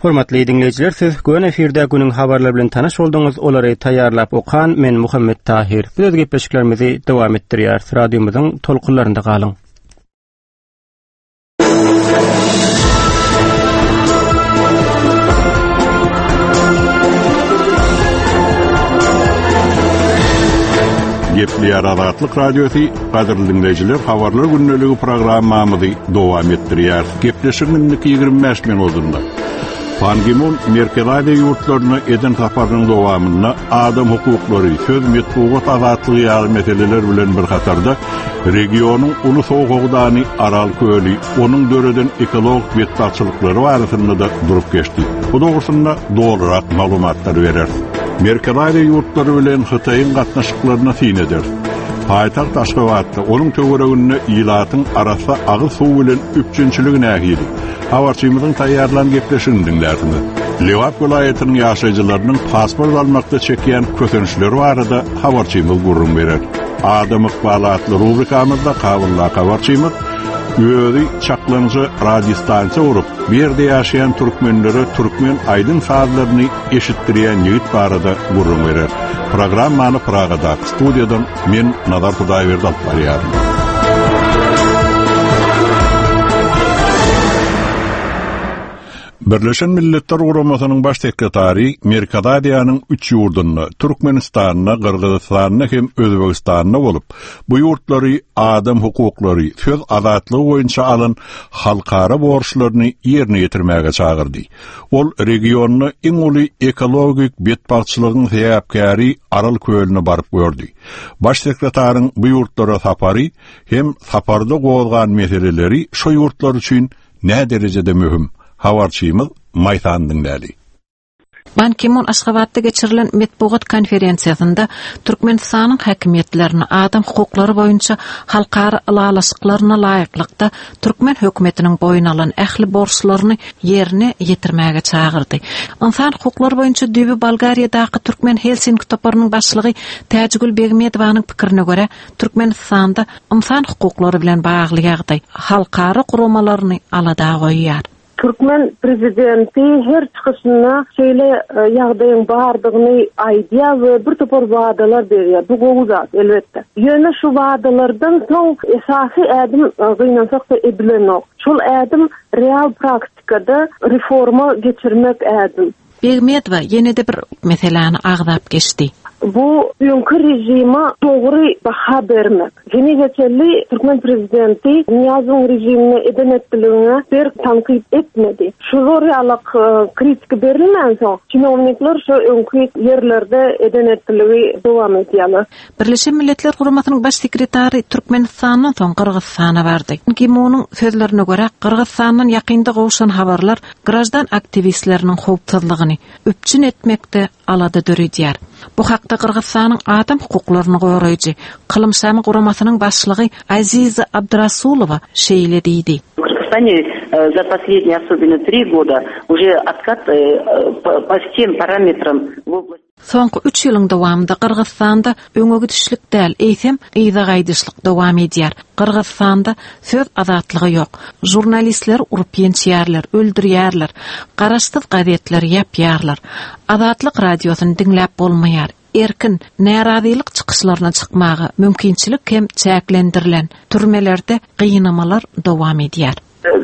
Hormatly diňleýjiler, siz gön efirde günüň habarlary bilen tanyş bolduňyz. Olary taýýarlap okan men Muhammet Tahir. Biz öz gepleşiklerimizi dowam etdirýäris. Radiomyzyň tolkunlarynda galyň. Gepleýär Azatlyk Radiosy, gadyrly diňleýjiler, habarlar gündeligi programmamyzy dowam etdirýär. Gepleşigiň indiki ýigrimi bäş minutynda Pan Gi-mun Merkezi Aziýa ýurtlaryna eden saparynyň dowamynda adam hukuklary, söz metbugat azatlygy ýaly meseleler bilen bir hatarda regionyň uly suw howdany Aral köli, onuň döreden ekologik betbagtçylyklary barasynda-da durup geçdi. Bu dogrusynda dolurak maglumatlar bereris. Merkezi Aziýa ýurtlary bilen Hytaýyň gatnaşyklaryna syn ederis. Paýtagt Aşgabatda onuň töwereginde ilatyň arassa agyz suw bilen üpjünçiligi nähili? Habarçymyzyň taýýarlan gepleşigini diňlärsiňiz. Lebap welaýatynyň ýaşaýjylarynyň pasport almakda çekýän kösençleri barada habarçymyz gürrüň berer. Adam ykbaly atly rubrikamyzda Kabuldaky habarçymyz özi çaklaňja radiostansiýa gurup, bu ýerde ýaşaýan türkmenlere türkmen aýdym sazlaryny eşitdirýän ýigit barada gürrüň berer. Programmany Pragadaky studiýadan men Nazar Hudaýberdi alyp barýaryn. Birleşen Milletler Guramasynyň baş sekretary Merkezi Aziýanyň üç ýurdunda, Türkmenistanda, Gyrgyzystanda hem Özbegistanda bolup, bu ýurtlary adam hukuklary, söz azatlygy boýunça alan halkara borçlaryny ýerine ýetirmäge çagyrdy. Ol regionda iň uly ekologik betbagtçylygyň sebäpkäri Aral kölüne baryp gördi. Baş sekretaryň bu ýurtlara sapary hem saparda gozgan meseleleri şu ýurtlar üçin nä derejede möhüm? Habarçymyz Maýsan diňläli. Ban Ki-mun Aşgabatda geçirilen metbugat konferensiýasynda Türkmenistanyň häkimiýetlerini adam hukuklary boýunça halkara ylalaşyklaryna laýyklykda türkmen hökümetiniň boýun alan ähli borçlaryny ýerine ýetirmäge çagyrdy. Ynsan hukuklary boýunça düýbi Bolgariýadaky Türkmen Helsinki toparynyň başlygy Täjigül Begmedowanyň pikirine görä, Türkmenistanda ynsan hukuklary bilen bagly ýagdaý halkara guramalaryny alada goýýar. Türkmen prezidenti her çykyşynda şeýle ýagdaýyň bardygyny aýdýar we bir topar wadalar berýär. Bu gowy zat elbetde. Ýöne şu wadalardan soň esasy ädim gynansak-da edilenok. Şol ädim real praktikada reforma geçirmek ädim. Begmedowa ýene-de bir meseläni agzap geçdi. Bu öňki rejime dogry baha bermek. Heniz geçeli Türkmen prezidenti Niýazowyň rejimine eden etdiligine bir tankyt etmedi. Şu zor ýalak kritika berilmän soň, çinownikler şu öňki ýerlerde eden etdiligi dowam edýärler. Birleşen Milletler Guramasynyň baş sekretary Türkmenistandan soň Gyrgyzystana bardy. Ki-munyň sözlerine görä, Gyrgyzystandan ýakynda gowşan habarlar grajdan aktiwistleriniň howpsuzlygyny üpjün etmekde alada döredýär. Bu hakda Gyrgyzystanyň adam hukuklaryny goraýjy Kylymşamy guramasynyň başlygy Aziza Abdurasulowa şeýle diýdi. В Кыргызстане за последние, особенно три года, уже откат по всем параметрам в области Soňky üç ýylyň dowamynda Gyrgyzystanda öňe gidişlik däl, eýsem yza gaýdyşlyk dowam edýär. Gyrgyzystanda söz azatlygy ýok. Žurnalistler urup ýençýärler, öldürýärler, garaşsyz gazetleri ýapýarlar. Azatlyk radiosyny diňläp bolmaýar. Erkin närazylyk çykyşlaryna çykmaga mümkinçilik hem çäklendirilen türmelerde gynamalar dowam edýär.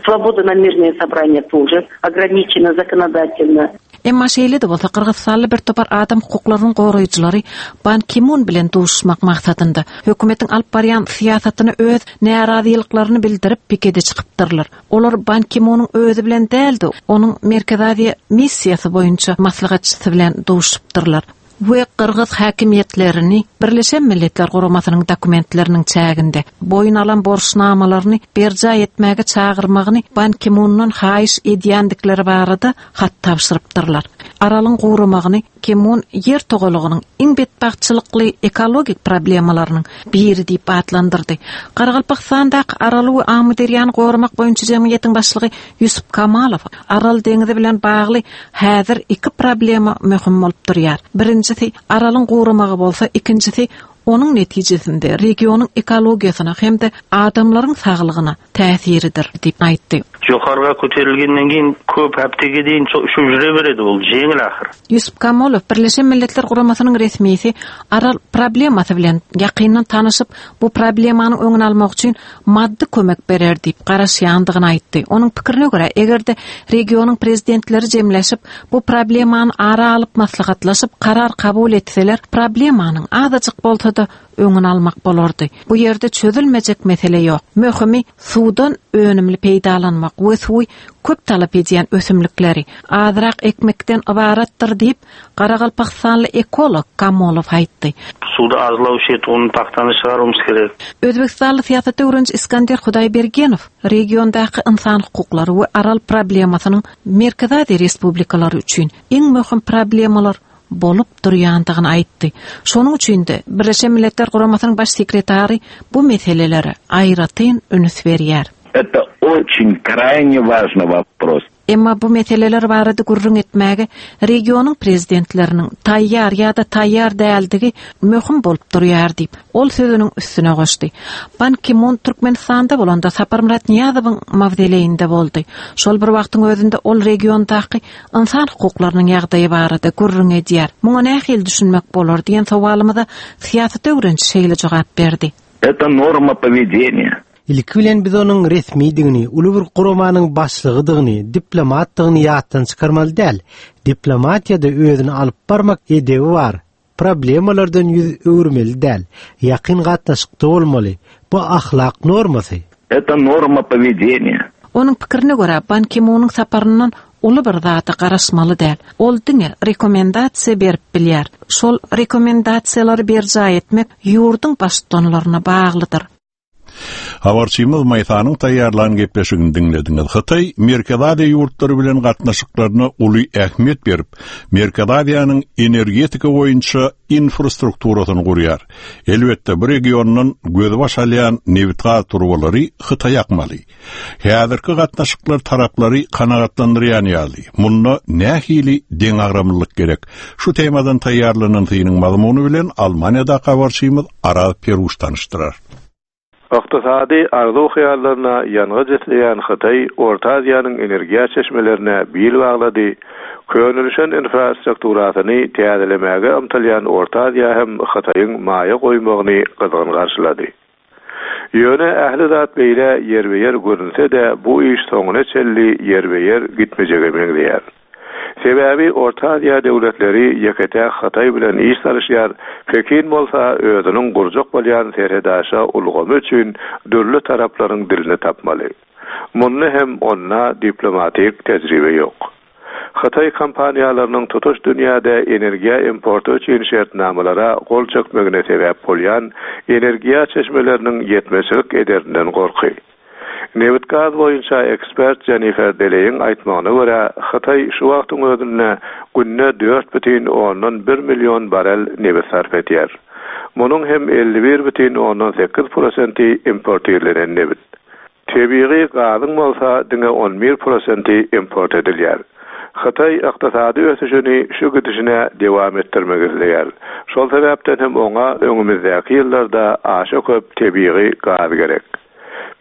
Свобода на мирные собрания тоже ограничена законодательно. Emma şeýle-de bolsa Gyrgyzystanly bir topar adam hukuklarynyň goraýjylary Ban Ki-mun bilen duşmak maksadynda hökümetiň alyp barýan syýasatyny öz närazylyklaryny bildirip pikete çykypdyrlar. Olar Ban Ki-munyň özi bilen däldi, onuň Merkezi Aziýa missiýasy boýunça maslahatçysy bilen duşupdyrlar. We Gyrgyz häkimiýetlerini Birleşen Milletler Guramasynyň dokumentleriniň çäginde boýun alan borçnamalaryny berjaý etmäge çagyrmagyny Ban Ki-mundan haýyş edýändikleri barada hat tabşyrypdyrlar. Aralyň guramagyny Ki-mun ýer togalygynyň iň betbagtçylykly ekologik problemalarynyň biri diýip atlandyrdy. Garagalpagystandaky Araly we Amyderýany goramak boýunça jemgyýetiň başlygy Ýusup Kamalow Aral deňizi bilen bagly häzir iki problema möhüm bolup durýar. Birinjisi Aralyň guramagy bolsa, ikinjisi onuň netijesinde regionyň ekologiýasyna hem-de adamlaryň saglygyna täsiridir diýip aýtdy. Жоғарыға көтерілгеннен кейін көп аптеге дейін ішіп жүре береді, ол жеңіл ақыры. Ýusup Kamolow Birleşen Milletler Guramasynyň resmisi Aral problemasy bilen ýakyndan tanyşyp, bu problemanyň öňüni almak üçin maddy kömek berer diýip garaşýandygyny aýtdy. Onuň pikirine görä, eger-de regionyň prezidentleri jemleşip, bu problemany ara alyp maslahatlaşyp karar kabul etseler, problemanyň azajyk bolsa-da öňüni almak bolardy. Bu ýerde çözülmejek mesele ýok. Möhümi suwdan önümli peýdalanmak we suwy köp talap edýän ösümlikleri azrak ekmekden ybaratdyr diýip, Garagalpakstanly ekolog Kamolow aýtdy. Суды азлау ішетуғын пахтаны шығаруымыз керек. Özbekistanly syýasat öwreniji Iskander Hudaýbergenow regiondaky insan hukuklary we Aral problemasynyň Merkezi Aziýa respublikalary üçin iň möhüm problemalar bolup durýandygyny aýtdy. Şonuň üçin de Birleşen Milletler Guramasynyň baş sekretary bu meselelere aýratyn üns berýär. Это очень крайне важный вопрос. Emma bu meseleler barada gürrüň etmäge regionyň prezidentleriniň taýýar ýa-da taýýar däldigi möhüm bolup durýar diýip, ol sözüniň üstüne goşdy. Ban Ki-mun Türkmenistanda bolanda Saparmyrat Nyýazowyň mawzoleýinde boldy. Şol bir wagtyň özünde ol regiondaky insan hukuklarynyň ýagdaýy barada gürrüň edýär. Muňa nähili düşünmek bolar diýen sowalymyza syýasat öwreniji şeýle jogap berdi. Это норма поведения. Ilki bilen biz onuň resmidigini, uly bir guramanyň başlygydygyny, diplomatdygyny ýatdan çykarmaly däl. Diplomatiýada özüni alyp barmak edebi bar. Problemalardan ýüz öwürmeli däl. Ýakyn gatnaşykda bolmaly. Bu ahlak normasy. Это норма поведения. Onuň pikirine görä, Ban Ki-munyň saparyndan uly bir zada garaşmaly däl. Ol diňe rekomendasiýa berip bilýär. Şol rekomendasiýalary berjaý etmek ýurduň baştutanlaryna baglydyr. Habarçymyz Maýsanyň taýýarlan gepleşigini diňlediňiz. Hytaý Merkezi Aziýa ýurtlary bilen gatnaşyklaryna uly ähmiýet berip, Merkezi Aziýanyň energetika boýunça infrastrukturasyny gurýar. Elbetde bu regiondan gözbaş alýan nebit-gaz turbalary Hytaý akmaly. Häzirki gatnaşyklar taraplary kanagatlandyrýan ýaly. Munda nähili deňagramlylyk gerek? Şu temadan taýýarlanan synyň mazmuny bilen Almaniýada habarçymyz Araz Peruş tanyşdyrar. Ykdysady arzuw hyýallaryna ýangyç isleýän Hytaý Orta Aziýanyň energiýa çeşmelerine bil baglady. Könülüşen infrastrukturasyny täzelemäge ymtylýan Orta Aziýa hem Hytaýyň maýa goýmagyny gyzgyn garşylady. Ýöne ähli zat beýle ýerbe-ýer görünse-de bu iş soňuna çenli ýerbe-ýer gitmejege meňzeýär. Sebäbi Orta Aziýa döwletleri ýeke-täk Hytaý bilen iş salyşýar, Pekin bolsa özüniň gurjak bolýan serhedaşa ulgamy üçin dürli taraplaryň dilini tapmaly. Munda hem onda diplomatik tejribe ýok. Hytaý kompaniýalarynyň tutuş dünýäde energiýa importy üçin şertnamalara gol çekmegine sebäp bolýan energiýa çeşmeleriniň ýetmezçilik ederinden gorky. Nebit-gaz boýunça ekspert Jennifer Deleýiň aýtmagyna görä, Hytaý şu wagtyň özünde günde dört bütin ondan bir million barel nebit sarp edýär. Munuň hem elli bir bütin ondan sekiz prosenti importirlenen nebit. Tebigy gazyň bolsa diňe on bir prosenti import edilýär. Hytaý ykdysady ösüşini şu gidişine dewam etdirmek isleýär. Şol sebäpden hem oňa öňümizdäki ýyllarda aşa köp tebigy gaz gerek.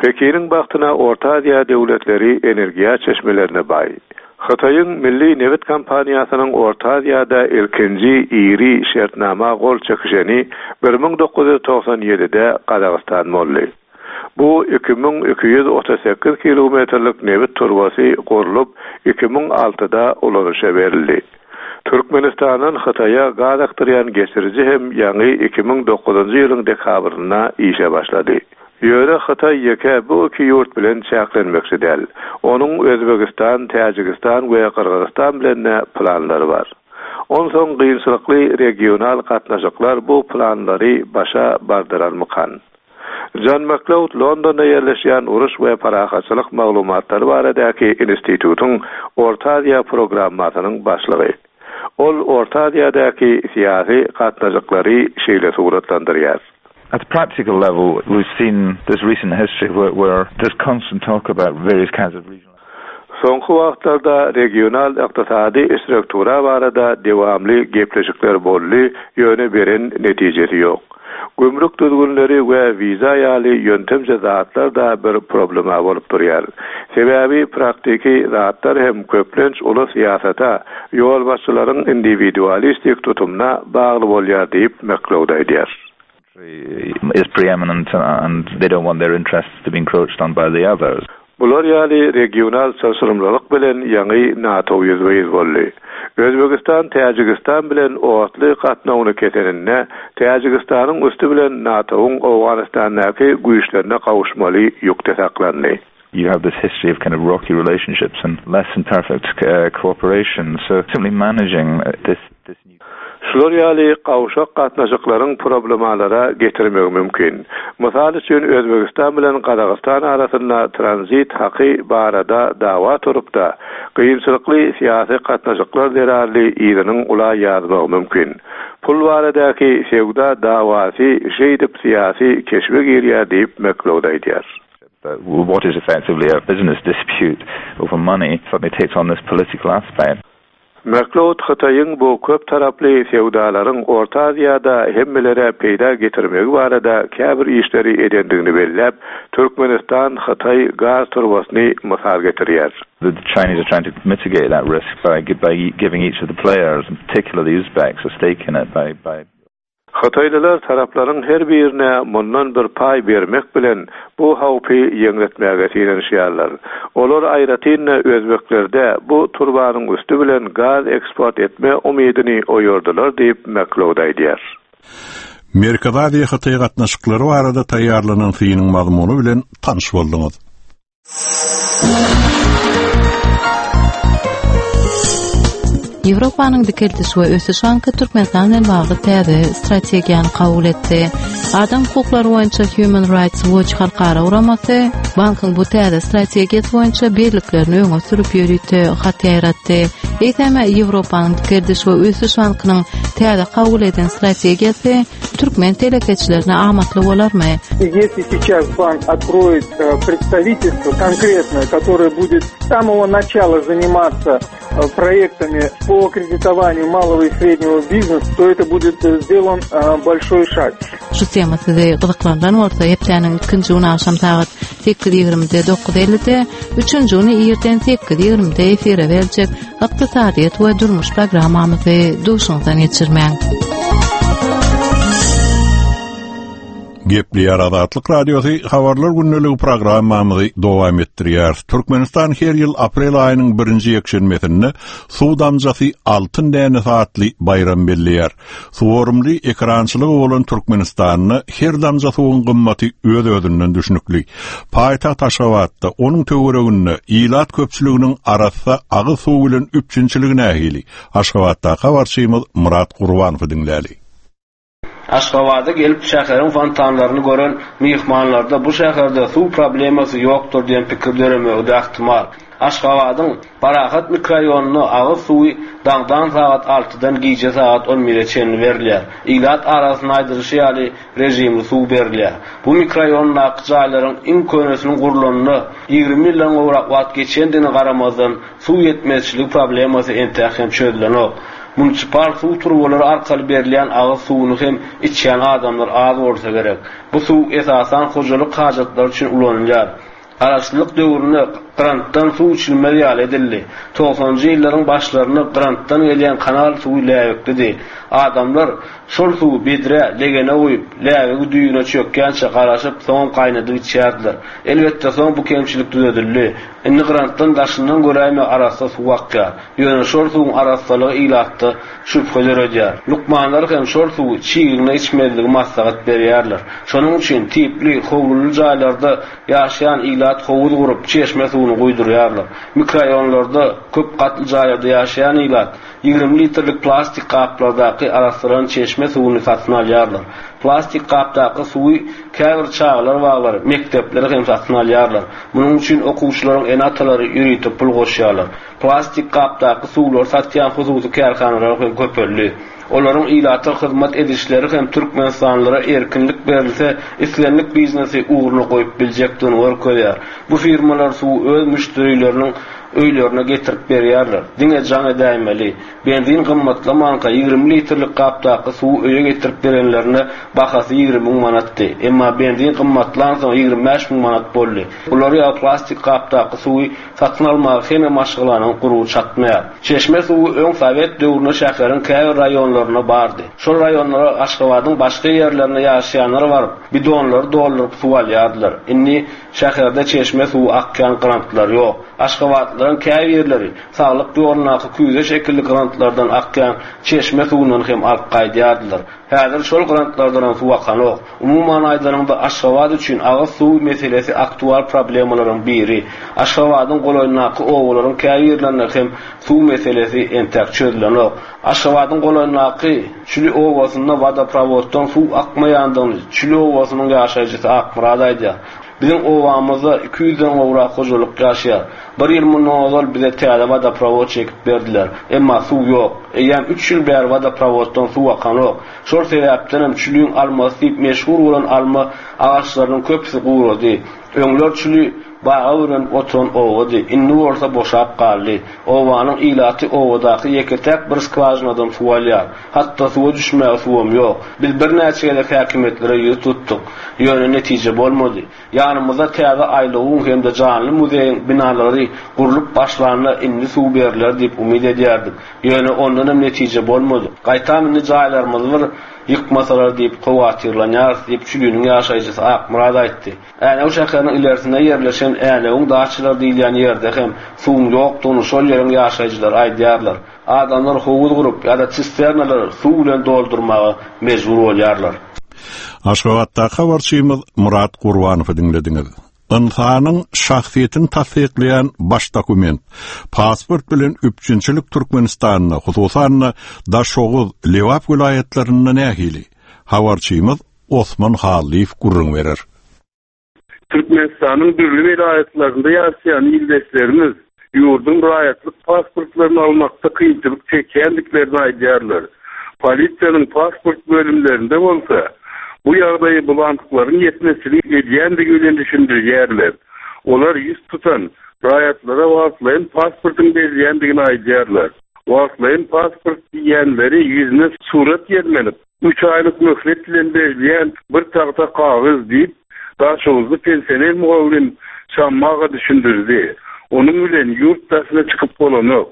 Pekiniň bagtyna Orta Aziýa döwletleri energiýa çeşmelerine baý. Hytaýyň Milli Nebit kompaniýasynyň Orta Aziýada ilkinji iri şertnama gol çekişeni bir müň dokuz ýüz togsan ýedide Gazagystan boldy. Bu iki müň iki ýüz otuz sekiz kilometrlik nebit turbasy gurlup iki müň altyda ulanyşa berildi. Türkmenistandan Hytaýa gaz akdyrýan geçiriji hem ýaňy iki müň dokuzynjy ýylyň dekabrynda işe başlady. Ýöne Hytaý ýeke bu iki ýurt bilen çäklenmekçi däl. Onuň Özbegistan, Täjigistan we Gyrgyzystan bilen planlary bar. Onsoň kynçylykly regional gatnaşyklar bu planlary başa bardyrarmykan? John McLeod Londonda ýerleşýän uruş we parahatçylyk maglumatlary baradaky institutyň Orta Aziýa programmasynyň başlygy. Ol Orta Aziýadaky syýasy gatnaşyklary şeýle suratlandyrýar. At a practical level, we've seen this recent history where, where there's constant talk about various kinds of regional Soňky wagtlarda regional ykdysady struktura barada dewamly gepleşikler boldy, ýöne beren netijesi ýok. Gümrük düzgünleri we wiza ýaly ýöntemje zatlar da bir problema bolup durýar. Sebäbi praktiki zatlar hem köplenç uly syýasata, ýolbaşçylaryň individualistik tutumyna bagly bolýar diýip McLeod aýdýar. is preeminent and they don't want their interests to be encroached on by the others. Bular ýaly regional çylşyrymlylyk bilen ýaňy NATO ýüzbe-ýüz boldy. Özbegistan Täjigistan bilen otly gatnawyny keseninde Täjigistanyň üsti bilen NATO-nyň Owganystandaky güýçlerine gowuşmaly ýükde saklandy. You have this history of kind of rocky relationships and less than perfect uh, cooperation. So simply managing this this new Şular ýaly gawşak gatnaşyklaryň problemalara getirmegi mümkin. Mysal üçin Özbegistan bilen Gazagystan arasynda tranzit haky barada dawa turupda, kynçylykly syýasy gatnaşyklar zerarly yzynyň ula ýazmagy mümkin. Pul baradaky söwda dawasy şeýdip syýasy keşbe girýär diýip McLeod aýdýar. what is effectively a business dispute over money suddenly takes on this political aspect. McLeod Hytaýyň bu köp taraply söwdalaryň Orta Aziýada hemmelere peýda getirmegi barada käbir işleri edendigini belläp, Türkmenistan Hytaý gaz turbasyny mysal getirýär. The Chinese are trying to mitigate that risk by by giving each of the players, in particular the Uzbeks, a stake in it by by Hytaýlylar taraplaryň her birine mundan bir paý bermek bilen bu howpy ýeňletmäge synanyşýarlar. Olar aýratyn özbeklerde bu turbanyň üsti bilen gaz eksport etme umydyny oýardylar diýip McLeod aýdýar. Merkezi Aziýa Hytaý gatnaşyklary barada taýýarlanan synyň mazmuny bilen tanyş bolduňyz. Ýewropanyň Dikeldiş we Ösüş Banky Türkmenistan bilen bagly täze strategiýany kabul etdi. Adam hukuklary boýunça Human Rights Watch halkara guramasy bankyň bu täze strategiýasy boýunça birliklerini öňe sürüp ýörite hat ýaýratdy. Eýsem Ýewropanyň Dikeldiş we Ösüş Bankynyň täze kabul eden strategiýasy türkmen telekeçilerine amatly bolarmy? Если сейчас банк откроет э, представительство конкретное, которое будет с самого начала заниматься э, проектами по кредитованию малого и среднего бизнеса, то это будет э, сделан большой шаг. Şu tema sizi gyzyklandyran bolsa, hepdäniň ikinji güni agşam sagat sekiz ýigrimide dokuz ellide, üçünji güni irden sekiz ýigrimide efire berjek ykdysadyýet we durmuş programmamyzy duşuňyzdan geçirmäň. Gepleýär Azatlyk Radiosy habarlar günlügi programmamyzy dowam etdirýär. Türkmenistan her ýyl aprel aýynyň birinji ýekşenbesinde suw damjasy altyn dänesi atly baýram belleýär. Suwarymly ekrançylygy bolan Türkmenistanda her damja suwuň gymmaty öz-özünden düşnükli. Paýtagt Aşgabatda onuň töwereginde ilat köpçüliginiň arassa agyz suwy bilen üpjünçiligi nähili? Aşgabatda habarçymyz Murat Gurbanowy diňläli. Aşgabada gelip şäheriň fontanlaryny gören myhmanlarda bu şäherde suw problemasy ýokdur diýen pikir döremegi de ähtimal. Aşgabadyň Parahat mikrorayonuna agyz suwy daňdan sagat altydan gije sagat on bire çenli berilýär. Ilat arasynda aýdylyşy ýaly rejimli suw berilýär. Bu mikrorayondaky jaýlaryň iň könesiniň gurlanyna ýigrimi ýyldan gowrak wagt geçendigine garamazdan suw ýetmezçiligi problemasy entäk hem çözülenok. Municipal suw turbalary arkaly berilýän agyz suwuny hem içýän adamlar az bolsa gerek. Bu suw esasan hojalyk hajatlary üçin ulanylýar. Garaşsyzlyk döwründe grantdan suw içilmez ýaly edildi. Togsanjy ýyllaryň başlarynda grantdan gelýän kanal suwy läbeklidi. Adamlar şol suwy bedre, legene guýup, läbegi düýüne çökýänçe garaşyp, soň gaýnadyp içýärdiler. Elbetde soň bu kemçilik düzedildi. Indi grantdan daşyndan göräýme arassa suw akýar. Ýöne şol suwuň arassalygy ilatda şübhe döredýär. Lukmanlar hem şol suwy çigigne içmezligi maslahat berýärler. Şonuň üçin tipli howluly jaýlarda ýaşaýan ilat howuz gurup çeşme suwuny guýdurýarlar. Mikrorayonlarda köp gatly jaýlarda ýaşaýan ilat ýigrimi litrlik plastik gaplardaky arassalan çeşme suwuny satyn alýarlar. Plastik gapdaky suwy käbir çagalar baglary, mekdepleri hem satyn alýarlar. Munuň üçin okuwçylaryň ene-atalary ýörite pul goşýarlar. Plastik gapdaky suwlary satýan hususy kärhanalar hem köpeldi. Olaryň ilata hyzmat edişleri hem Türkmenistanlylara erkinlik berilse, islendik biznesi ugruna goýup biljekdigini görkezýär. Bu firmalar suwy öz müşderileriniň öýlerine getirip berýärler. Diňe jaň edäýmeli. Benzin gymmatlamanka ýigrimi litrlik gapdaky suwy öýe getirip berenlerinde bahasy ýigrimi müň manatdy. Emma benzin gymmatlansoň ýigrimi bäş müň manat boldy. Bular ýaly plastik gapdaky suwy satyn almaga hemme maşgalanyň gurby çatmaýar. Çeşme suwy öň sowet döwründe şäheriň käbir raýonlarynda bardy. Şol raýonlara Aşgabadyň başga ýerlerinde ýaşaýanlar baryp, bidonlary dolduryp suw alýardylar. Indi şäherde çeşme suwy akýan grantlar ýok. Aşgabatlylaryň käbirleri saglyk ýolundaky küýze şekilli grantlardan akýan çeşme suwundan hem alyp gaýdýardylar. Häzir şol grantlardan suw akanok. Umuman aýdanyňda Aşgabat üçin agyz suwy meselesi aktual problemalaryň biri. Aşgabadyň golaýyndaky obalaryň käbirlerinde hem suw meselesi entek çözülenok. Aşgabadyň golaýyndaky Çüli obasynda wodoprovoddan suw akmaýandygyny Çüli obasynyň ýaşaýjysy Akmyrat aýdýar. Biziň obamyzda iki ýüzden gowrak hojalyk ýaşaýar. Bir ýyl mundan ozal bize täze wodoprovod çekip berdiler. Emma suw ýok. Eýýäm üç ýyl bäri wodoprovoddan suw akanok. Şol sebäpdenem Çüliň almasy diýip meşhur bolan alma agaçlarynyň köpüsi gurady. Öňler Çüli baga bürenip oturan obady. Indi bolsa boşap galdy. Obanyň ilaty obadaky ýeke-täk bir skwažinadan suw alýar. Hatda suwa düşmäge suwam ýok. Biz birnäçe gezek häkimiýetlere ýüz tutduk. Ýöne netije bolmady. Ýanymyzda täze aýlawyň hem-de janly muzeýiň binalary gurlup başlanda indi suw berler diýip umyt edýärdik. Ýöne ondanam netije bolmady. Gaýtam indi jaýlarymyzy bir ýykmasalar diýip howatyrlanýarys diýip Çüliniň ýaşaýjysy Akmyrat aýtdy. Änew şäheriniň ilerisinde ýerleşen Änewiň daçalary diýilýän ýerde hem suwuň ýokdugyny şol ýeriň ýaşaýjylary aýdýarlar. Adamlar howuz gurup ýa-da sisternalary suw bilen doldurmaga mejbur bolýarlar. Aşgabatdaky habarçymyz Murat Gurbanowy diňlediňiz. Ynsanyň şahsyýetini tassyklaýan baş dokument pasport bilen üpjünçilik Türkmenistanda, hususan-da Daşoguz, Lebap welaýatlarynda nähili? Habarçymyz Osman Hallyýew gürrüň berer. Türkmenistanyň dürli welaýatlarynda ýaşaýan ildeşlerimiz ýurduň raýatlyk pasportlaryny almakda kynçylyk çekýändiklerini aýdýarlar. Polisiýanyň pasport bölümlerinde bolsa bu ýagdaýy bulantyklaryň ýetmezçilik edýändigi bilen düşündirýärler. Olar ýüz tutan raýatlara wagtlaýyn pasportyň berilýändigini aýdýarlar. Wagtlaýyn pasport diýenleri ýüzüne surat ýerlenip, üç aýlyk möhlet bilen berilýän bir tagta kagyz diýip, Daşoguzly pensioner mugallym Şammaga düşündirdi. Onuň bilen ýurt daşyna çykyp bolanok.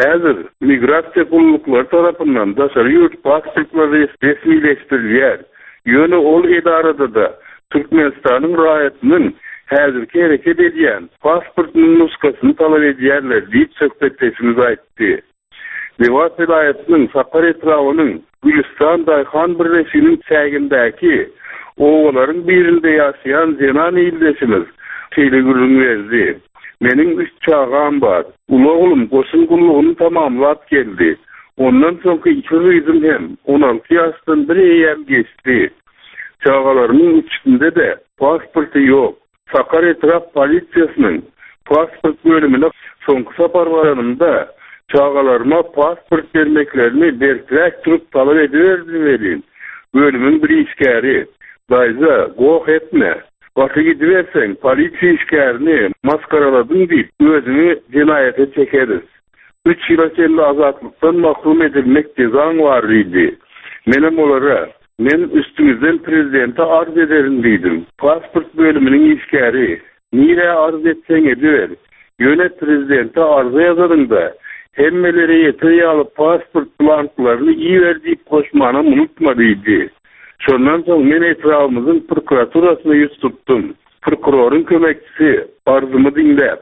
Häzir migrasiýa gulluklary tarapyndan daşary ýurt pasportlary resmileşdirilýär. Ýöne ol edarada-da Türkmenistanyň raýatynyň häzirki hereket edýän pasportynyň nuskasyny talap edýärler diýip söhbetdeşimiz aýtdy. Lebap welaýatynyň Sakar etrabynyň Gülistan daýhan birleşiginiň çägindäki obalaryň birinde ýaşaýan zenan ildeşimiz şeýle gürrüň berdi. Meniň üç çagam bar. Uly oglum goşun gullugyny tamamlap geldi. Ondan soňky iki gyzym hem on alty ýaşdan bir eýýäm geçdi. Çagalarymyň üçünde-de pasporty ýok. Sakar etrap polisiýasynyň pasport bölümine soňky sapar baranymda çagalaryma pasport bermeklerini berkräk durup talap ediberdim welin, bölümiň bir işgäri, Daýza, goh etme. Gaty gidiberseň, polisiýa işgärini masgaraladyň diýip, özüňi jenaýata çekeris. Üç ýyla çenli azatlykdan mahrum edilmek jezaň bar diýdi. Menem olara, Men üstüňizden prezidente arz ederin diýdim. Pasport bölüminiň işgäri, Nirä arz etseň ediber. Ýöne prezidente arza ýazanyňda, hemmelere ýeter ýaly pasport blanklaryny iber diýip goşmanam unutma diýdi. Şondan soň men etrabymyzyň prokuraturasyna ýüz tutdum. Prokuroryň kömekçisi arzymy diňläp,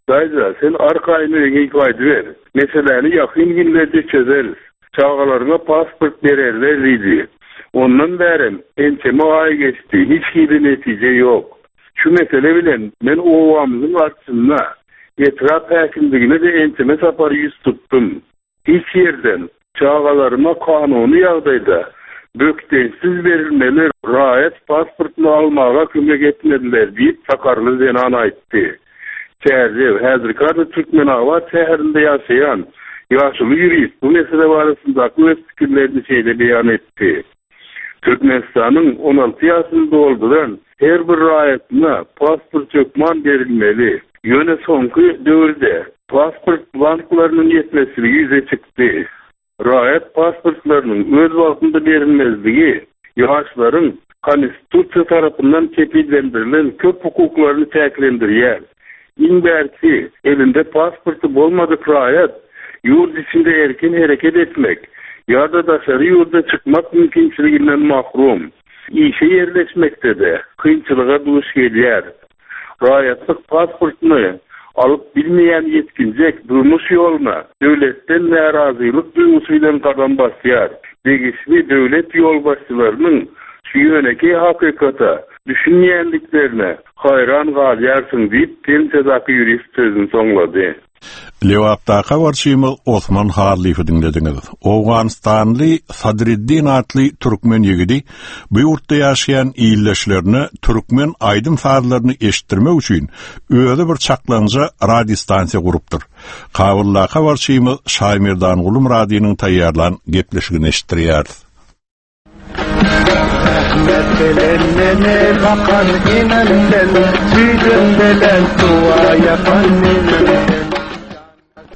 Daýza, sen arkaýyn öýüňe gaýdyber. Meseläni ýakyn günlerde çözeris. Çagalaryňa pasport bererler diýdi. Ondan bärem ençeme aý geçdi, hiç hili netije ýok. Şu mesele bilen men obamyzyň arçynyna, etrap häkimligine-de ençeme sapar ýüz tutdum. Hiç ýerden çagalaryma kanuny ýagdaýda bökdençsiz berilmeli raýat pasportyny almaga kömek etmediler diýip, sakarly zenan aýtdy. Çärjew, häzirki ady Türkmenabat şäherinde ýaşaýan ýaşuly ýurist bu mesele barasyndaky öz pikirlerini şeýle beýan etdi. Türkmenistanyň on alty ýaşyny dolduran her bir raýatyna pasport hökman berilmeli. Ýöne soňky döwürde Pasport blanklarynyň ýetmezçiligi ýüze çykdy. Raýat pasportlarynyň öz wagtynda berilmezligi ýaşlaryň konstitusiýa tarapyndan kepillendirilen köp hukuklaryny çäklendirýär. Iň bärsi, elinde pasporty bolmadyk raýat ýurt içinde erkin hereket etmek ýa-da daşary ýurda çykmak mümkinçiliginden mahrum. Işe ýerleşmekde-de kynçylyga duş gelýär. Raýatlyk pasportyny alyp bilmeýän ýetginjek durmuş ýoluna döwletden närazylyk duýgusy bilen gadam basýar. Degişli döwlet ýolbaşçylarynyň şu ýönekeý hakykata düşünmeýändiklerine haýran galýarsyň diýip, pensiýadaky ýurist sözüni soňlady. Lebapdaky habarçymyz Osman Hallyýewi diňlediňiz. Owganystanly Sadriddin atly türkmen ýigidi bu ýurtda ýaşaýan ildeşlerine türkmen aýdym sazlaryny eşitdirmek üçin özi bir çaklaňja radiostansiýa gurupdyr. Kabuldaky habarçymyz Şaýmerdanguly Myradynyň taýýarlan gepleşigini eşitdirýäris. Rahmet bilen meni bakan enemden, Süýdüm bilen dua yapan enemden.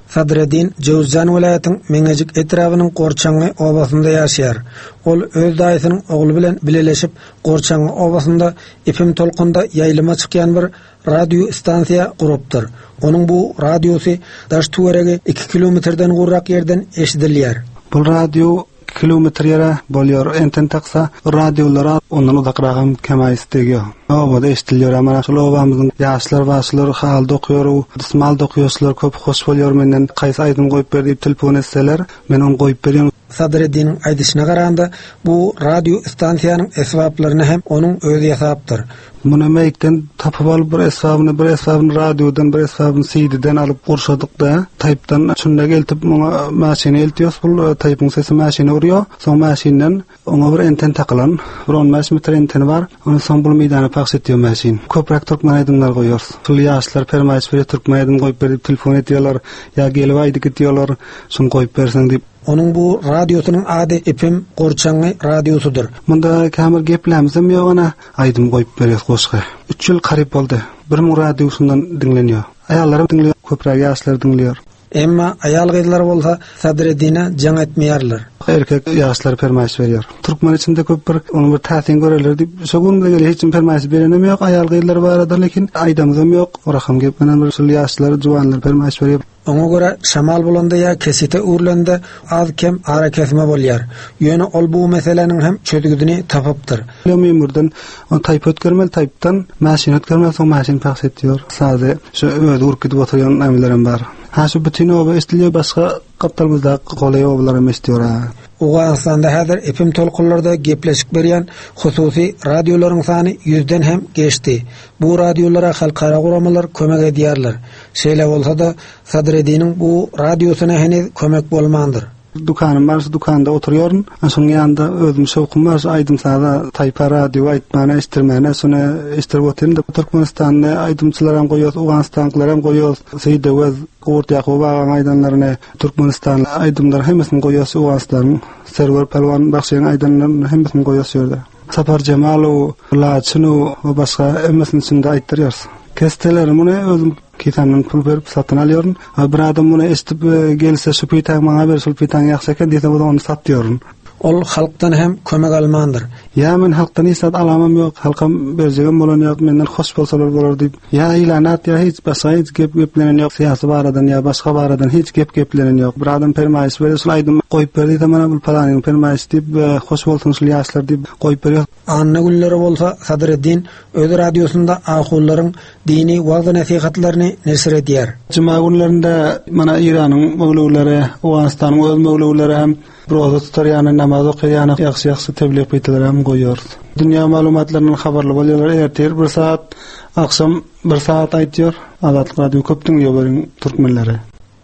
Sadreddin Jöwüzjan welaýatyň Meňejik etrabynyň Gorçaňňy obasynda ýaşaýar. Ol öz daýysynyň ogly bilen bileleşip Gorçaňňy obasynda F M tolkunda ýaýlyma çykýan bir radio stansiýa gurupdyr. Onuň bu radiosy daş töweregi iki kilometrden gowrak ýerden eşidilýär. Bu radio kilometr ýere bolýar. Enten taksa radiolara ondan uzakragam kemaýys degýär. Obada eşidilýär. Amma şol obamyzyň ýaşlar başlar hal dokýar, dysmal dokýarlar, köp hoş bolýar menden kaýsy aýdym goýup ber diýip telefon etseler, men ony goýup berýän. Sadreddiniň aýdyşyna garanda bu radio stansiýanyň esbaplaryny hem onuň özi ýasapdyr. Muny meýkden tapyp alyp bir esbabyny, bir esbabyny radiodan, bir esbabyny C D-den alyp gurşadyk da, taýpdan şunda geltip muňa maşyny eltiýos, bul taýpyň sesi maşyny urýar. Soň maşyndan oňa bir enten takylan, bir on bäş metr anteni bar. Ondan soň bul meýdana pahş etýär maşyn. Köpräk türkmen aýdymlar goýýarys. Şul ýaşlar permaýyş berýär, türkmen aýdym goýup berip telefon etýärler, ýa gelip aýdyp gitýärler, şuny goýup berseň diýip. Onuň bu radiosynyň ady F M Gorçaňňy radiosydyr. Munda kämir geplämizem ýok ana, aýdym goýup berýär goşgy. Üç ýyl garyp boldy. Bir müň radiosundan diňlenýär. Aýallar diňleýär, köpräk ýaşlar diňleýär. Emma aýal gyzlar bolsa Sadreddine jaň etmeýärler. Erkek ýaşlar permaýyş berýär. Türkmen içinde köp bir onuň bir täsin göreler diýip, şo gün bile hiç kim permaýyş berenem ýok, aýal gyzlar barada, lekin aýdamyzam ýok. Orakam gepmenen bir şul ýaşlar, juwanlar permaýyş berýär. Oňa görä şamal bolanda ýa kesite urlanda az kem ara kesme bolýar. Ýöne ol bu meseläniň hem çözgüdini tapypdyr. Memurdan on taýp ötkermeli, taýpdan maşyn ötkermeli, soň maşyn pahs etýär. Sade şu öz urup gidip oturýan nämelerem bar. Ha şu bütün oba eşidilýär, başga gapdalymyzda golaý obalar hem eşidýär ha. Owganystanda häzir F M tolkunlarda gepleşik berýän hususy radiolaryň sany ýüzden hem geçdi. Bu radiolara halkara guramalar kömek edýärler. Şeýle bolsa-da Sadreddiniň bu radiosyna heniz kömek bolmandyr. Dükanım bar, şu dükanda oturuyorum. Şonuň ýanynda özüm şowkum bar, şu aýdym saza, taýpa radio aýtmana, eşitdirmäne, şony eşitdirip otyryn da. Türkmenistanda aýdymçylar hem goýýas, Owganystanlylar hem goýýas. Seýdewez, Gurt Ýakup agaň aýdanlaryny, Türkmenistan aýdymlar hemmesini goýýas, Owganystanyň Serwer Pälwan Bagşynyň aýdanlaryny hemmesini goýýas şu ýerde. Sapar Jemalow, Laçynow we başga hemmesini içinde aýtdyrýarys. Kesteler muny özüm kisamdan pul berip satyn alýaryn. Ha, bir adam muny eşitip, e, gelse şu pitaň maňa ber, şu pitaň ýagşy eken diýse, o da ony satýaryn. Ol halkdan hem kömek almandyr. Ýa men halkdan hiç zat alamam ýok, halkam berjegem bolan ýok, menden hoş bolsalar bolar diýip. Ýa ilanat, ýa hiç başga hiç gep geplenen ýok, syýasy baradan ýa başga baradan hiç gep geplenen ýok. Bir adam permaýyş berýär, şul aýdym goýup ber diýse, mana bu palanyň permaýyş diýip, e, hoş bolsun şul ýaşlar diýip goýup berýär. Anna günleri bolsa Sadreddin öz radiosynda ahullaryň dini wagyz-nesihatlaryny neşir edýär. Juma günlerinde mana Iranyň möwlüwleri, Owganystanyň öz möwlüwleri hem roza tutar ýany, namaz okaýan ýagşy-ýagşy tebliğ peytalar hem goýýarys. Dünýä maglumatlaryndan habarly bolýarlar. Ertir bir saat, akşam bir saat aýtýar. Azatlyk radio köp diňleýär beriň türkmenleri.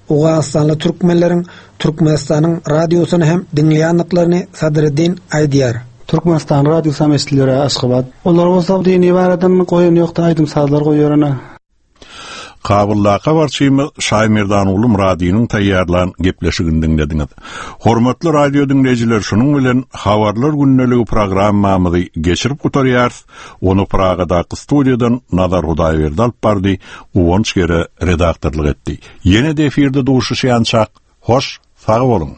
Owganystanly türkmenleriň Türkmenistanyň radiosyny hem diňleýänliklerini Sadreddin aýdýar. Türkmenistan radiosy hem eşidilýär Aşgabat. Olar bolsa dini baradan goýan ýokdy, aýdym sazlar goýýar ana. Kabuldaky habarçymyz Şaýmerdanuly Myradynyň taýýarlan gepleşigini diňlediňiz. Hormatly radio diňleýjiler, şunuň bilen Habarlar gündeligi programmamyzy geçirip gutarýarys. Ony Pragadaky studiýadan Nazar Hudaýberdi alyp bardy, Guwanç Gere redaktorlyk etdi. Ýene-de efirde duşuşýançak, hoş, sag boluň.